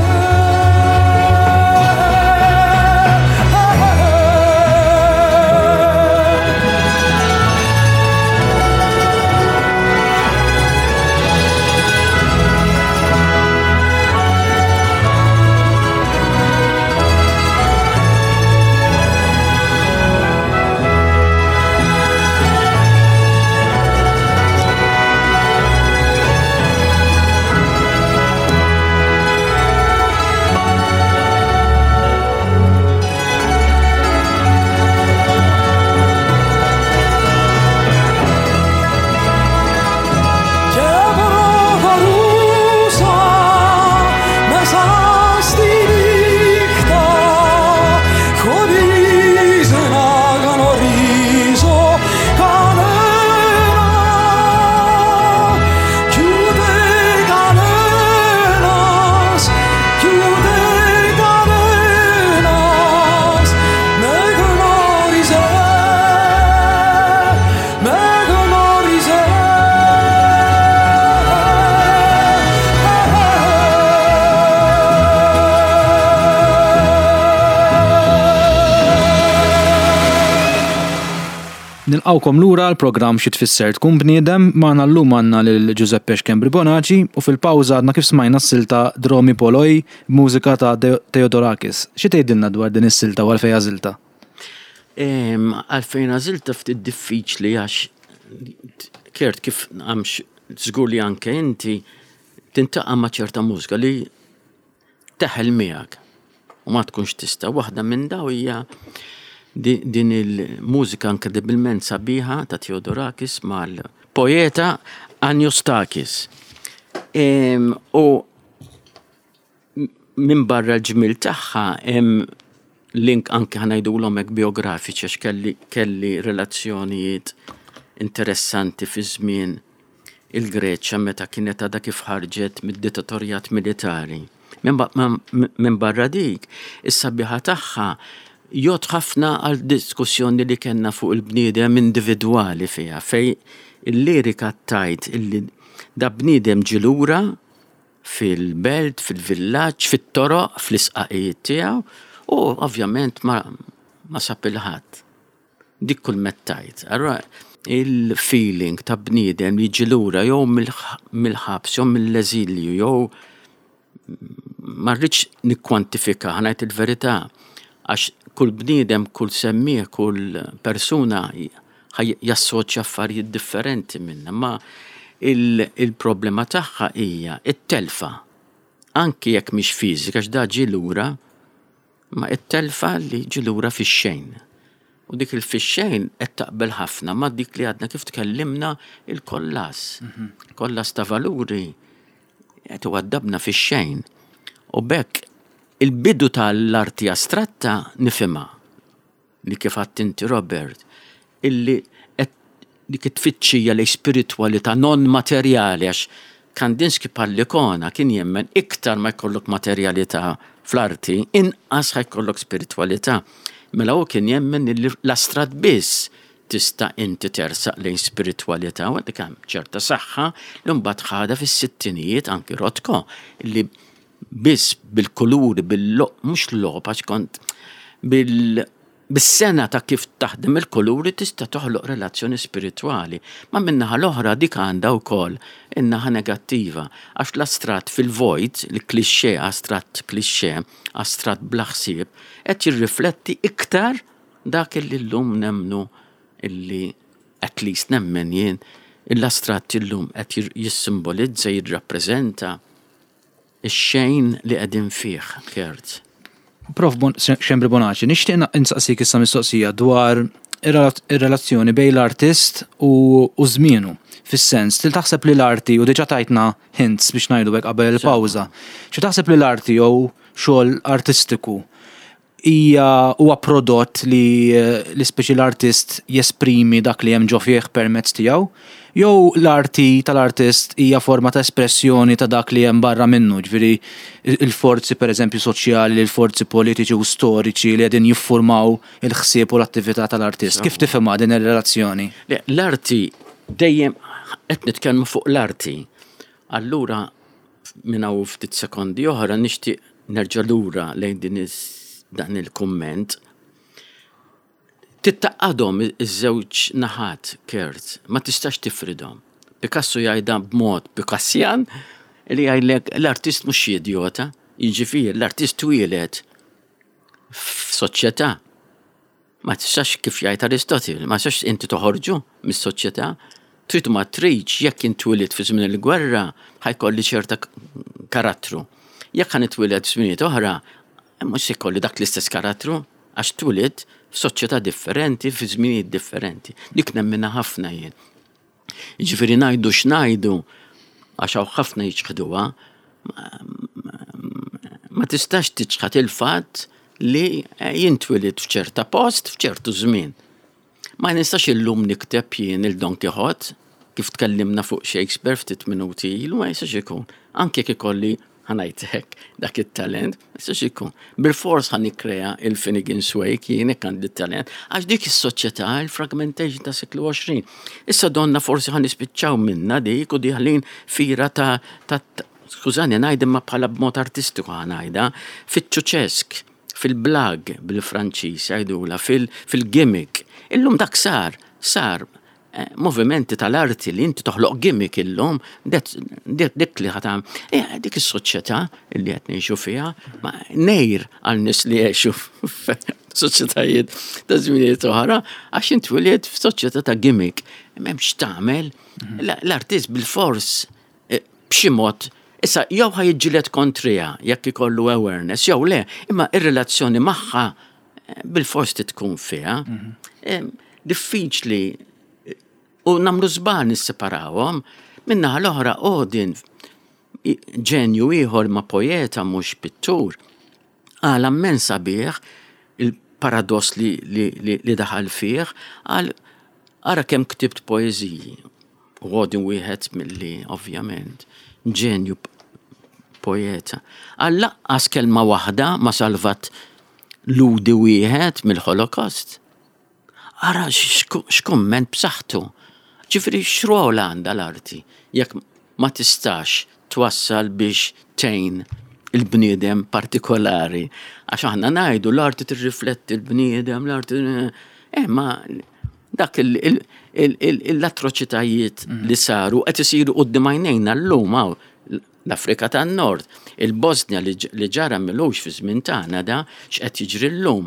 Nilqgħukom lura l-programm Xi Tfisser Tkun Bniedem. Magħna llum għandna lil Giuseppe Schembri Bonaci u fil-pawża għadna kif smajna s-silta Dromi Poloi, mużika ta' Theodorakis. Xi tgħidilna dwar din is-silta u għalfejn għażiltha? Għalfejn għażiltha ftit diffiċli għax, Kurt, kif għamx żgur li anke inti tiltaqa' ma' ċerta mużika li teħel miegħek u ma tkunx tista'. Waħda minn daw hija din il-mużika inkredibilment sabiħa ta' Theodorakis mal-poeta Anagnostakis. U minn barra l-ġmil tagħha hemm link anke, ħa ngħidulhom hekk, biografiċi, għax kelli kelli relazzjonijiet interessanti fi żmien il-Greċja meta kienet għadha kif ħarġet mid-dittatorjat militari. Minn barra dik, is-sabiħa tagħha jgħodd ħafna għal diskussjoni li kellna fuq il-bniedem individwali fiha, fej il-lirika tgħid illi da bniedem ġie lura fil-belt, fil-villaġġ, fit-toroq, fl-isqaqijiet tiegħu u ovvjament ma, ma sab il-ħadd. Dik kull mettajt. Allura il-feeling ta' bniedem li ġie lura jew mill-ħabs, jew mill-eżilju, jew ma rridx nikkwantifika, ħa ngħid il-verità, għax kull bniedem, kull semmiegħ, kull persuna jassoċja affarijiet differenti minna, ma il-problema tagħha hija it-telfa. Anki jekk mhix fiżika, għax da ġie lura, ma it-telfa li ġie lura fix-xejn. U dik il-fix-xejn qed taqbel ħafna ma dik li għadna kif tkellimna, il-kollass. Kollass ta' valuri qed iwaddabna fix-xejn. U b'hekk il-bidu tal-arti astratta nifhimha li kif għedt inti, Robert, illi qed dik it-tfittxija li spiritualità non materjali, għax Kandinsky bħall-ikona kien jemmen iktar ma jkollok materjalità fl-arti, inqas ħa jkollok spiritualità. Mela hu kien jemmen li l-astratt biss tista' inti tersaq lejn spiritualità, u dik hemm ċerta saħħa li mbagħad ħadha fis-sittinijiet anki Rothko, li biss bil-kuluri, bil-loq, mhux logħob, għax kont bil bis-sena ta' kif taħdem il-kuluri tista' toħloq relazzjoni spiritwali. Ma min-naħa l-oħra dik għandha wkoll in-naħa negattiva, għax l-astratt fil-vojt, il-klixé, astratt klixé, astratt bla ħsieb, qed jirrifletti iktar dak illi llum nemmnu illi, at least nemmen jien, l-astratt illum qed jissimbolizza, jirrappreżenta ix-xejn li qegħdin fih, Kurt. Prof Bon Schembri Bonaci, nixtieq insaqsik issa mistoqsija dwar ir-relazzjoni bejn l-artist u u żmienu. Fis-sens, til taħseb li l-arti, u diġà tajtna hints biex ngħidu hekk qabel il-pawża, xi taħseb li l-arti jew xogħol artistiku hija huwa prodott li li speċi l-artist jesprimi dak li hemm ġo fih permezz tiegħu, jew l-arti tal-artist hija forma ta' espressjoni ta' dak li hemm barra minnu, ġifieri il-forzi pereżempju soċjali, il-forzi politiċi u storiċi li qegħdin jiffurmaw il-ħsieb u l-attività tal-artist? Kif tifhimha din ir-relazzjoni? Le, l-arti dejjem qed nitkellmu fuq l-arti. Allura minn hawn ftit sekondi oħra nixtieq nerġa' lura lejn din dan il-kumment. Tgħaqqadhom iż-żewġ naħat, Kurt, ma tistax tifridhom. Picasso jgħidha b'mod Picassian li jgħidlek l-artist mhux xi idiota, jiġifieri l-artist twieled f'soċjetà. Ma tistax, kif jgħid Aristotle, ma tistax inti toħorġu mis-soċjetà. Trid ma tridx, jekk intwieled fi żmien il-gwerra, ħa jkolli ċerta karattru. Jekk ħa nitwieled f'żminijiet oħra, mhux se jkolli dak l-istess karattru, għax twieled f'soċjetà differenti, fi żminijiet differenti. Dik nemminha ħafna jien. Jiġifieri ngħidu x'ngħidu, għax hawn ħafna jiċħduha, ma tistax tiċħad il-fatt li jien twelidt f'ċerta post, f'ċertu żmien. Ma nistax illum nikteb jien il-Don Quixote, kif tkellimna fuq Shakespeare ftit minuti ilu, ma jistax ikun. Anke jekk ikolli, ħa ngħid hekk, dak it-talent, ma jistax ikun. Bil-fors ħa nikkrea il-Finnegan's Wake, jien hekk għandi talent, għax dik is-soċjetà, il-fragmentation ta' seklu għoxrin. Issa donna forsi ħa nispiċċaw minna dik u dieħlin f'era ta' ta' skużani ngħid, imma bħala b'mod artistiku ħa ngħidha,fiċ-ċuċesk, fil-blague bil-Franċiż jgħidula, fil-gimmick. Illum dak sar, Sar eh, movimenti tal-arti li inti toħloq gimmick illum, dik li ħatam, eh, dik is-soċjetà li qed ngħixu fiha, ma nejr għal nies li jgħixu f'soċjetajiet ta' żminijiet oħra, għax inti wlied f'soċjetà ta' gimmick. M'hemmx tagħmel, l-artist bil-fors eh, b'xi mod. Issa, jew ħa jiġġieled kontriha jekk ikollu awareness, jew le, imma ir-relazzjoni magħha eh, bil-fors tkun fiha. Mhm. Diffiċli u nagħmlu żball nisseparawhom. Min-naħa l-oħra, Odin, ġenju ieħor ma' poeta mhux pittur, għal immens sabiħ il-paradoss li, li, li, li daħal fih, għal ara kemm ktibt poeżiji. U Odin wieħed milli, ovvjament, ġenju poeta. Għal lanqas kelma waħda ma salvat Lhudi wieħed mill-Holocaust. Ara x'kumment b'saħħtu. Ġifieri x'rol għandha l-arti jekk ma tistax twassal biex tgħin il-bniedem partikolari? Għax aħna ngħidu l-arti tirrifletti l-bniedem, l-arti. Eh, ma dak l-atroċitajiet li saru qed isiru quddiem għajnejna llum hawn l-Afrika tan-Nord, il-Bosnia li ġara m'ilux fi żmien tagħna, da x'qed jiġri llum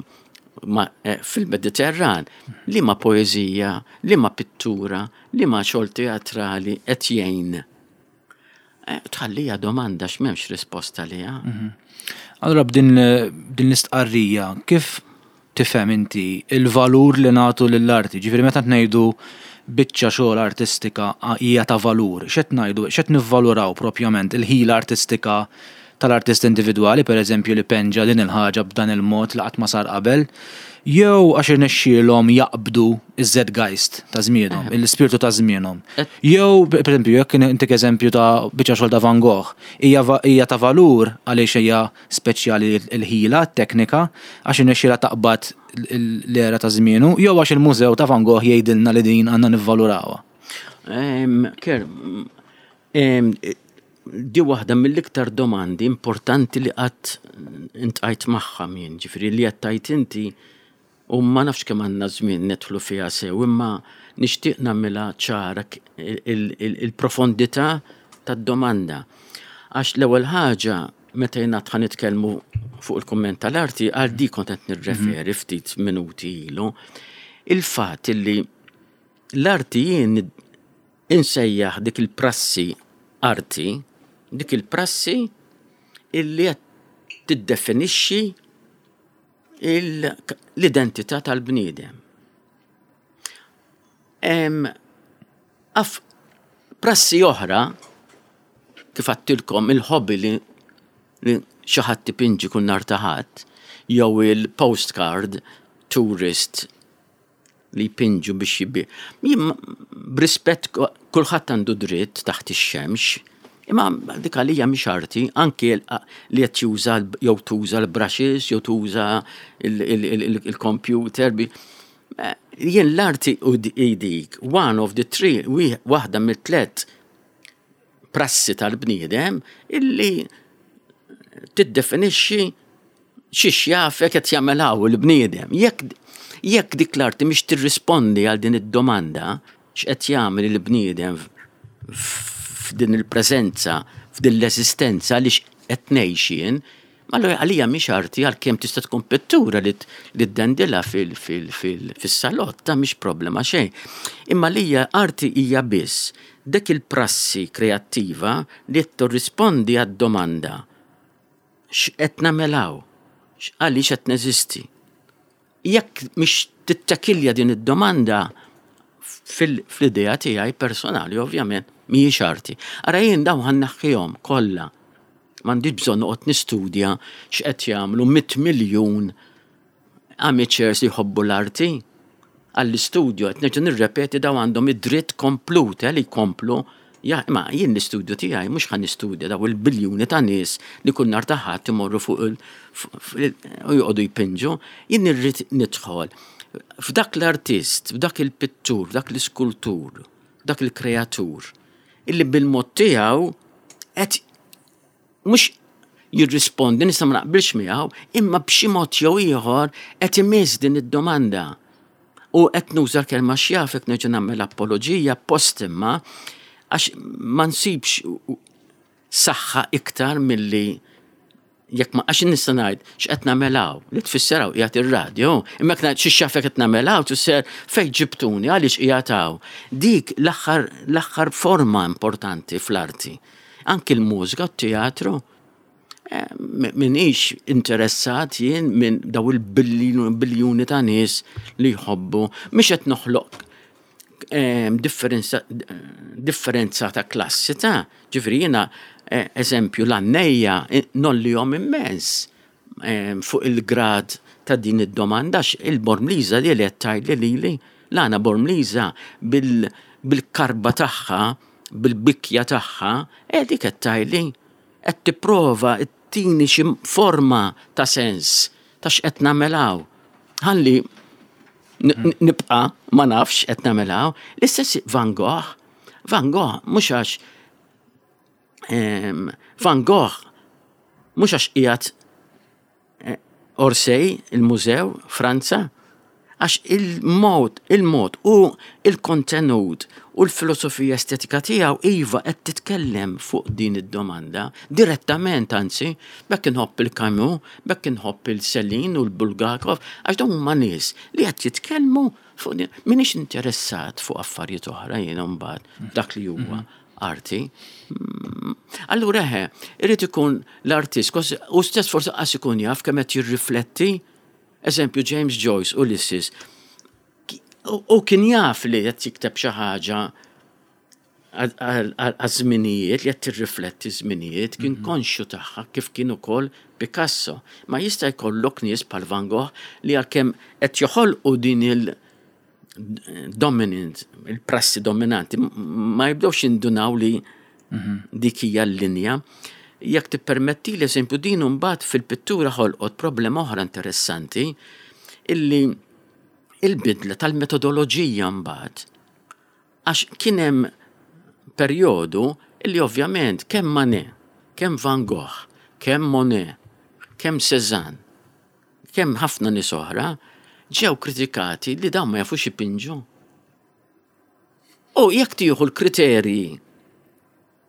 eh, fil-Mediterran, li ma poeżija, li ma pittura, li ma xogħol teatrali qed jgħin. Eh, tħallija domanda x'm'hemmx risposta liha. Mhm. Allora b'din din l-istqarrija, kif tifhem inti il-valur li nagħtu lill-arti? Ġifieri meta ngħidu biċċa xogħol artistika hija ta' valur, x'qed ngħidu, x'qed nivvaluraw propjament? Il-ħila artistika tal-artist individwali, per eżempju, li penġa din il-ħaġa b'dan il-mod li qatt ma sar qabel, jew għax irnexxielhom jaqbdu iż-zeitgeist ta' żmienhom, l-ispirtu ta' żmienhom? Jew, per eżempju, jekk intik eżempju ta' biċċa xogħol ta' Van Gogh, hija va- hija ta' valur għaliex hija speċjali l-ħila, teknika, għax irnexxielha taqbad l-era ta' żmienu, jew għax il-mużew ta' Van Gogh jgħidilna li din għandna nivvalurawha? Em, Ker, em, di waħda mill-iktar domandi importanti li qatt iltqajt magħha min, ġifieri li qed tgħid inti, u ma nafx kemm għandna żmien nedħlu fiha sew, imma nixtieq nagħmilha ċara k- il- il- il-profondità tad-domanda. Għax l-ewwel ħaġa, meta jingħad ħa nitkellmu fuq il-kumment tal-arti, għal di kont qed nirreferi ftit minuti ilu, il-fatt illi l-arti jien insejjaħ dik il-prassi arti, dik il-prassi illi qed tiddefinixxi il- l-identità tal-bniedem. Em, Af prassi oħra, kif għedtilkom il-hobby li, li xi ħadd tipinġi kull nhar ta' Ħadd, jew il-postcard tourist li jpinġu biex jibi. Jien b'rispett, kulħadd għandu dritt taħt ix-xemx, imma dik għalija mhix arti, anki l- li qed juża l- jew tuża l-brushes, jew tuża il-computer. bi- Eh, Jien l-arti u di- dik, one of the three, wi- waħda mit-tlet prassi tal-bniedem illi tiddefinixxi xiex jafek qed jagħmel hawn il-bniedem. Jekk jekk dik l-arti mhix tirrispondi għal din id-domanda x'qed jagħmel il-bniedem f'din il-preżenza, f'din l-eżistenza li qed ngħix jien, allura għalija mhix arti, għalkemm tista' tkun pittura li li ddendilha fis-salotta, mhix problema xejn. Imma lija arti hija biss dik il-prassi kreattiva li tirrispondi għad-domanda x'qed nagħmel hawn, għaliex qed neżisti. Jekk mhix tittakilja din id-domanda, fil-idea tiegħi personali ovvjament mhijiex arti. Ara jien dawn ħa nneħħihom kollha. M'għandix bżonn noqgħod nistudja x'qed jagħmlu mitt miljun amateurs li jħobbu l-arti. Għall-istudju qed nerġa' nirrepeti, dawn għandhom id-dritt komplut eh, li jkomplu. Ja, ma jien l-istudju tiegħi mhux ħa nistudja daw il-biljuni ta' nies li kull nhar ta' Ħadd imorru fuq il u joqogħdu jpinġu. Jien irrid nidħol f'dak l-artist, f'dak il-pittur, f'dak l-iskultur, f'dak il-kreatur, illi bil-mod tiegħu qed mhux jirrispondi, nista' ma naqbilx miegħu, imma b'xi mod jew ieħor qed imiss din id-domanda. U qed nuża l-kelma x'jafek, nerġa' nagħmel apoloġija post, imma għax ma nsibx saħħa iktar milli jekk ma, għax nista' ngħid x'qed nagħmel hawn, li tfisser hawn qiegħed ir-radju, imma jekk ngħid xi x'jafek qed nagħmel hawn, tfisser fejn ġibtuni, għaliex qiegħed hawn. Dik l-aħħar l-aħħar forma importanti fl-arti. Anki l-mużika, t-teatru, eh, minix interessat jien minn daw il-biljuni ta' nies li jħobbu, mhix qed noħloq em, differenza, differenza ta' klassi ta' ġifieri jiena, eh, eżempju, l-għannejja ngħollihom immens em, fuq il-grad ta' din id-domanda, il-Bormliża li qed tgħidli lili l-għana Bormliża bil- bil-karba tagħha, bil-bikja tagħha, e dik qed tgħidli, qed tipprova ttini xi forma ta' sens ta' x'qed nagħmel hawn. Ħalli n- nibqa ma nafx qed nagħmel hawn. L-istess Van Gogh, Van Gogh mhux għax em, Van Gogh mhux għax qiegħed eh, Orsay, il-mużew, Franza, għax il-mod, il-mod u il-kontenut u l-filosofija estetika tiegħu iva qed titkellem fuq din id-domanda direttament. Anzi, bekk inħobb il-Camus, bekk inħobb il-Celine u l-Bulgakov, għax dawn huma nies li qed jitkellmu fuq din. Minix interessat fuq affarijiet oħra jiena mbagħad dak li huwa arti. Mm, Allura eħe, irid ikun l-artist, kos- u stess forsi qas ikun jaf kemm qed jirrifletti. Eżempju, James Joyce, Ulysses, Ki- u u kien jaf li qed jikteb xi ħaġa għaż-żminijiet, li qed tirrifletti żminijiet, kien konxju tagħha, kif kien ukoll Picasso. Ma jista' jkollok nies bħal Van Gogh li għalkemm qed joħolqu din il- dominant, il-prassi dominanti, m- ma jibdewx jindunaw li dik hija l-linja. Jekk tippermetti l-eżempju, din mbagħad fil-pittura ħolqot problema oħra interessanti, illi il-bidla tal-metodoloġija mbagħad. Għax kien hemm perjodu illi ovvjament kemm Manet, kemm Van Gogh, kemm Monet, kemm Cézanne, kemm ħafna nies oħra ġew kritikati li dawn ma jafux ipinġu. U jekk tieħu l-kriterji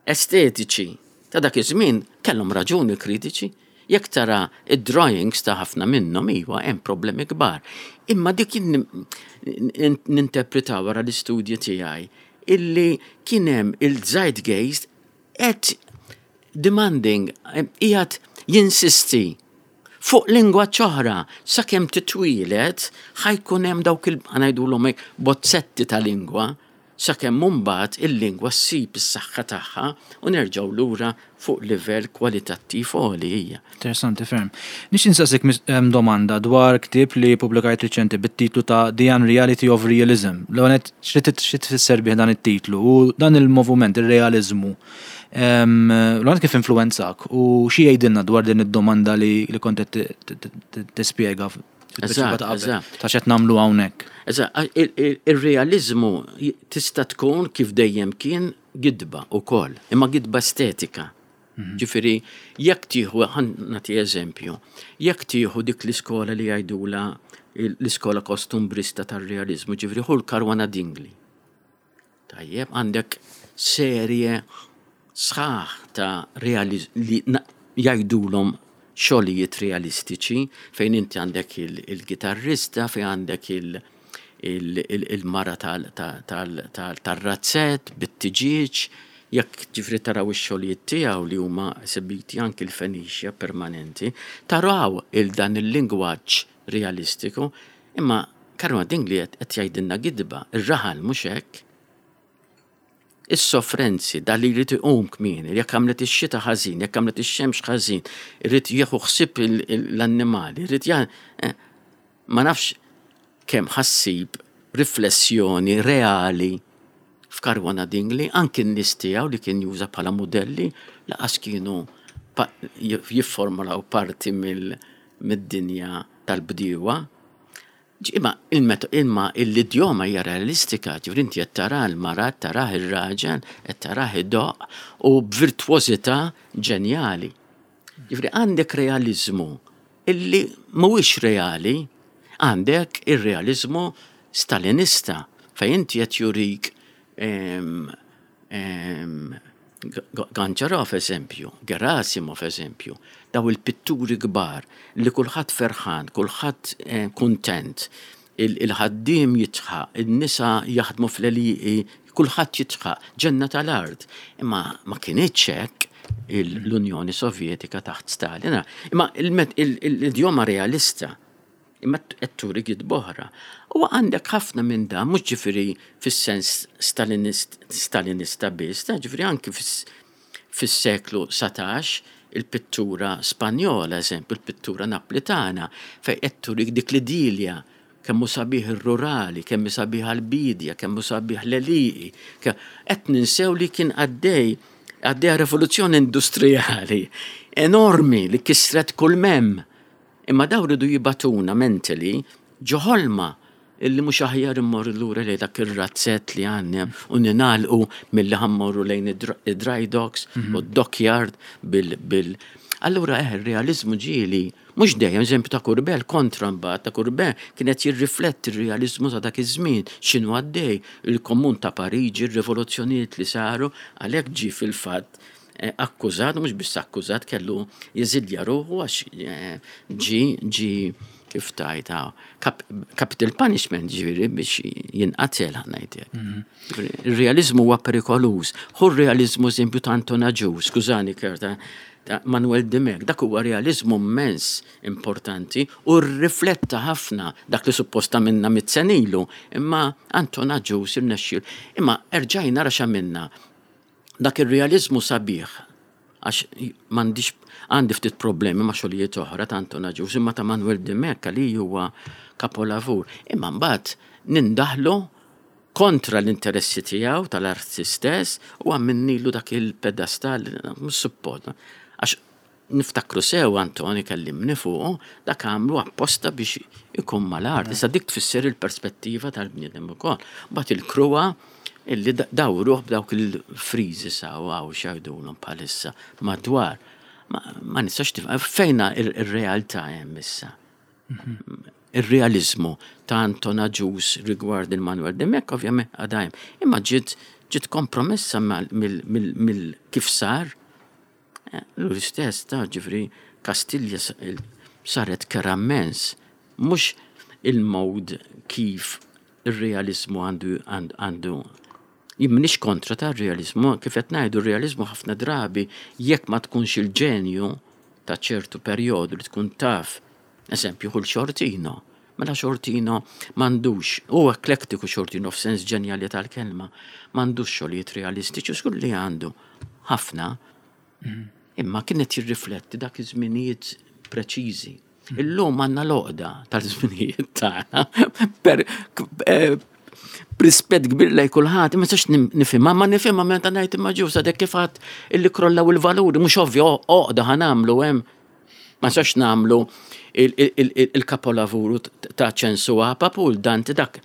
estetiċi ta' dak iż-żmien, kellhom raġuni kritiċi. Jekk tara id-drawings ta' ħafna minnhom, iwa hemm problemi kbar. Imma dik jien ninterpretaw wara l-istudji tiegħi illi kien hemm il-zeitgeist qed demanding, qiegħed jinsisti fuq lingwa oħra. Sakemm titwieled ħa jkun hemm dawk il, ħa ngħidulhom hekk, bozzetti ta' lingwa, sakemm mbagħad il-lingwa ssib is-saħħa tagħha u nerġgħu lura fuq livell kwalitattiv għoli hija. Interessanti ferm. Nix insaqsik mis- em, domanda dwar ktieb li publikajt riċenti bit-titlu ta' The Unreality of Realism. L-għonet, xi tfisser bih dan it-titlu u dan il-moviment, il-realizmu? L-għonet, kif influenzak u xi jgħidilna dwar din id-domanda li, li kont qed tispjega fit-tweġiba ta' qabel, Eżatt. ta' x'qed nagħmlu hawnhekk? Eżatt, il-realizmu tista' tkun, kif dejjem kien, gidba ukoll, imma gidba estetika. Ġifieri, jekk tieħu, ħa nagħti eżempju, jekk tieħu dik l-iskola li jgħidula l-iskola kostumbrista tar-realizmu, ġifieri ħu l-Caruana Dingli. Tajjeb, għandek serje sħaħ ta' realiz li na- jgħidulhom xogħlijiet realistiċi, fejn inti għandek il- il-gitarrista, fejn għandek il- il- il- il-mara tal-razzett, bit-tiġiġ, jekk ġifieri taraw ix-xogħlijiet tiegħu li huma esibiti anki l-Fenicia permanenti, taraw il-dan il-lingwaġġ realistiku, imma Caruana Dingli qed jgħidilna gidba, ir-raħal mhux hekk. Is-sofferenzi, da li jrid iqum kmieni, jekk għamlet ix-xita ħażin, jekk għamlet ix-xemx ħażin, irid jieħu ħsieb l-annimali, irid ja eh, ma nafx kemm ħa ssib riflessjoni reali f'Caruana Dingli. Anki n-nies tiegħu li kien juża bħala modelli laqas kienu jifformulaw parti mid-dinja tal-bdiewa. Imma imma l-idjoma hija realistika, ġifieri inti qed tara l-mara, tarah ir-raġel, qed tarah idoqq u b'virtuożità ġenjali. Ġifieri għandek realizmu illi mhuwiex reali, għandek ir-realizmu Stalinista, fejn inti qed jurik em, em, Goncharov eżempju, Gerasimov eżempju, daw il-pitturi kbar li kulħadd ferħan, kulħadd eh, kuntent, il-ħaddiem jidħaq, il-nisa jaħdmu fl-għelieqi, kulħadd jidħaq, ġenna tal-art. Imma ma kinitx hekk l-Unjoni Sovjetika taħt Stalin. Imma l-idjoma realista, imma qed turi oħra. U għandek ħafna minn dan, mhux ġifieri fis-sens stalinist, stalinista biss, ta' ġifieri anki fis-seklu satax il-pittura Spanjola, eżempju, il-pittura Naplitana, fej qed turik dik l-idilja, kemm hu sabiħ ir-rurali, kemm hu sabiħ l-bidja, kemm hu sabiħ l-għelieqi. Qed ninsew li kien għaddej għaddejja rivoluzzjoni industrijali enormi li kisret kull mem. Imma daw ridu jibagħtuna mentally ġo ħolma illi mhux aħjar immorru lura lejn dak ir-razzett li għandna u ningħalqu milli ħa mmorru lejn id-dry docks u d-dockyard bil bil Allura eh, il-realizmu ġieli, mhux dejjem, eżempju ta' Courbet, kontra mbagħad ta' Courbet kienet jirrifletti il-realizmu ta' dak iż-żmien, x'inhu għaddej, il-Komun ta' Pariġi, ir-rivoluzzjonijiet li saru, għalhekk ġi fil-fatt eh, akkużat, mhux biss akkużat, kellu jeżilja ruħu għax eh, ġi ġi kif tajta capital punishment, ġifieri biex jinqatel, ħa ngħidlek. Il-realizmu huwa perikoluż. Hu r-realizmu eżempju ta' Anton Agius, skużani Kerta, ta' Manuel Dimech, dak huwa realizmu immens importanti u rrifletta ħafna dak li supposta minna mitt sena ilu, imma Anton Agius irnexxiel. Imma erġajna ra minna dak ir-realizmu sabiħ, għax m'għandix, għandi ftit problemi ma' xogħlijiet oħra ta' Anton Agius, imma ta' Manuel Dimech li huwa kapolavur. Imma mbagħad nindaħlu kontra l-interessi tiegħu tal-artist stess u għamminnilu dak il-pedestal mhux suppost. Għax niftakru sew Antoni kellimni fuq, dak għamlu apposta biex ikun mal-art. Issa dik tfisser il-perspettiva tal-bniedem ukoll. Mbagħad il-kruha illi dawruh b'dawk il-friżi saw għaw xajdulhom bħalissa madwar. Ma, ma nistax tifhem fejna ir-realtà hemm issa. Ir-realizmu ta' Anton Agius rigward il-Manuel Dimech ovvjament għadha hemm. Imma ġiet ġiet kompromessa mill kif sar. L-istess ta' ġifieri Kastilja saret kerha immens. Mhux il-mod kif ir-realizmu għandu għandu Jien m'iniex kontra ta' realizmu, kif qed ngħidu r-realizmu ħafna drabi jekk ma tkunx il-ġenju ta' ċertu perjodu li tkun taf, eżempju, kull Sciortino. Mela Sciortino m'għandux, u eklektiku Sciortino f'sens ġenjali tal-kelma, m'għandux xogħlijiet realistiċi, żgur li għandu ħafna, imma kienet jirrifletti dak iż-żminijiet preċiżi. Illum għandna l-għoqda tal-żminijiet tagħna per eh, b'rispett kbir lej kulħadd, ma nistax nifhimha, ma nifhimha meta ngħid imma ġusa dek kif għad illi krollaw il-valuri, mhux ovvju għoqda ħa nagħmlu hemm. Ma nistax nagħmlu il-kapolavuru ta' Ċensu Apap u l-Dante, dak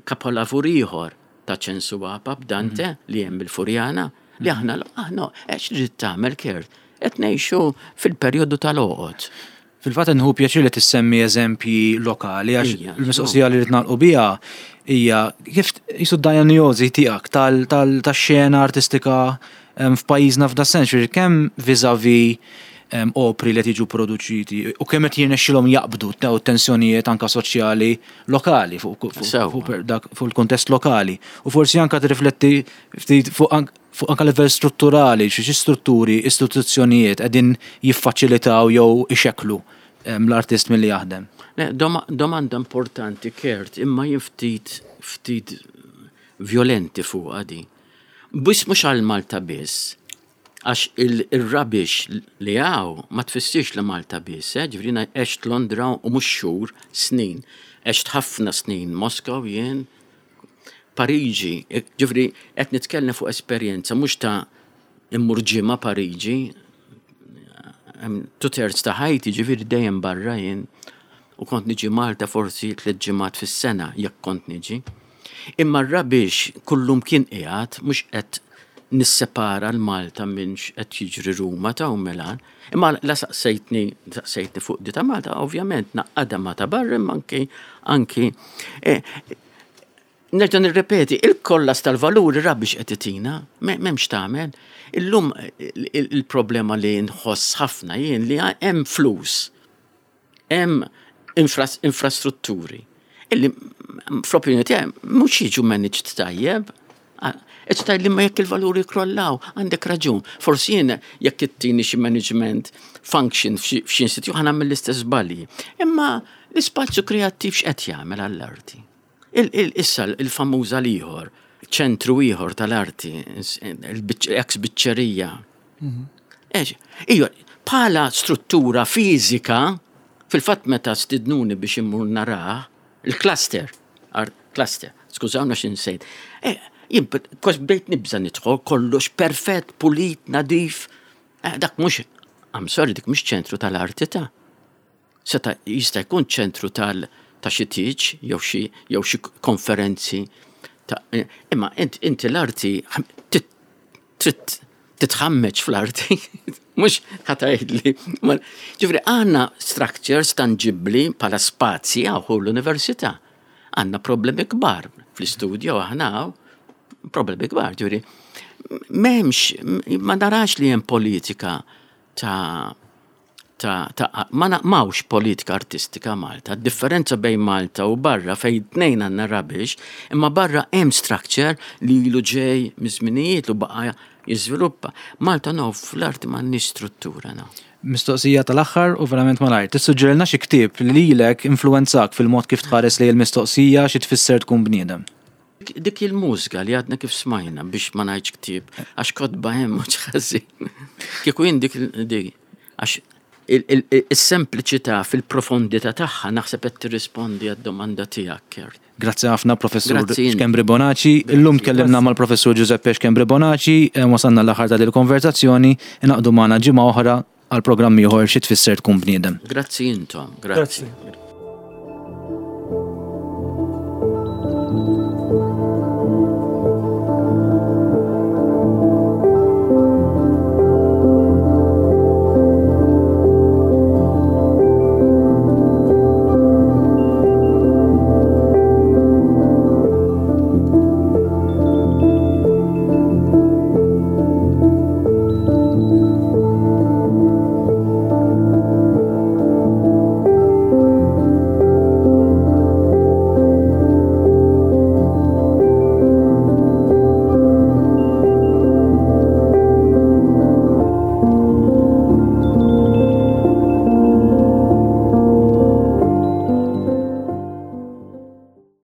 kapolavur ieħor ta' Ċensu Apap Dante li hemm il-Furjana li aħna aħna għex trid tagħmel, Kert, qed ngħixu fil-perjodu tal-għoqod. Fil-fatt nħu pjaċir li tissemmi eżempji lokali, għax Ija, il-mistoqsija li rrid nagħlqu biha hija kif jisu d-diagnosi tiegħek tal-xena artistika em, f'pajjiżna f'da sens, ġifieri kemm vis-a-vis em, opri li qed jiġu produċiti u kemm qed jirnexxilhom jaqbdu daw tensjonijiet anka soċjali lokali fuq fuq- Sewwa. fuq per- dak- fuq il-kontest lokali u forsi anka tirrifletti ftit fuq ank- fuq anka livell strutturali, xi xi strutturi, istituzzjonijiet qegħdin jiffaċilitaw jew ixekklu em, l-artist milli jaħdem. Le, doma- Domanda importanti, Kert, imma jien ftit ftit violenti fuq għadi. Biss mhux għal Malta biss, għax il-rubbish li hawn ma tfissirx li Malta biss, eh? Ġifieri jiena għext Londra u mhux xhur, snin. Għext ħafna snin Moskow jien, Pariġi, ġifieri qed nitkellem fuq esperjenza mhux ta' immur ġimgħa Pariġi, two thirds ta' ħajti ġifieri dejjem barra jien u kont niġi Malta forsi tliet ġimgħat fis-sena jekk kont niġi. Imma r-rubbish kullum kien qiegħed, mhux qed nissepara l-Malta minn x'qed jiġri Ruma ta' u Milan. Imma la saqsejtni, saqsejtni fuq di ta' Malta, ovvjament naqqada ma ta' barra, imma anki anki eh, Nerġa' nirrepeti, il-kollass tal-valuri rubbish qed itina, m'hemmx tagħmel. Illum il-problema li nħoss ħafna jien li hemm flus, hemm infrastrutturi illi fl-opinjoni tiegħi mhux jiġu managed tajjeb. Qed li ma jekk il-valuri krollaw, għandek raġun. Forsi jien jekk ittini xi management function f'xi institut ħa nagħmel l-istess żbalji. Imma l-ispazju kreattiv x'qed jagħmel għall-arti? Issa il-famuża l-ieħor, ċentru ieħor tal-arti, ex biċċerija. Mhm. Ijwa, bħala struttura fiżika, fil-fatt meta stidnuni biex immur narah, il-cluster, cluster, skużawna x'insejt. Eh, jien kos bdejt nibża nidħol kollox perfett, pulit, nadif. Eh, dak mhux, I'm sorry, dik mhux ċentru tal-arti ta' seta' jista' jkun ċentru tal ta' xi tieġ jew xi jew xi konferenzi. Eh, imma inti l-arti trid titħammeġ fl-arti, mhux ħa tgħidli. Ġifieri għandna structures tangibli bħala spazji għaw l-università. Għandna problemi kbar fl-istudju aħna problemi kbar, ġifieri. M'hemmx, ma narax li hemm politika ta' ta' ta' ma m'hawnx politika artistika Malta. Differenza bejn Malta u barra fejn tnejn għandna rubbish, imma barra hemm structure li ilu ġej miż-żminijiet u baqa' jiżviluppa. Malta no, fl-arti m'għandniex struttura no. Mistoqsija tal-aħħar u verament malajr. Tissuġġerilna xi ktieb li lilek influwenzak fil-mod kif tħares li l-mistoqsija xi tfisser tkun bniedem. Dik il-mużika li għadna kif smajna biex ma ngħidx ktieb, għax kotba hemm mhux ħażin. Kieku jien dik dik għax il-sempliċità fil-profondità tagħha naħseb qed tirrispondi għad-domanda tiegħek, Kurt. Grazzi ħafna Professur Schembri Bonaci. Illum tkellimna mal-Professur Giuseppe Schembri Bonaci, eh, wasalna l-aħħar ta' il-konverzazzjoni, ingħaqdu magħna ġimgħa oħra għal programm ieħor xi tfisser tkun bniedem. Grazzi intom, grazzi.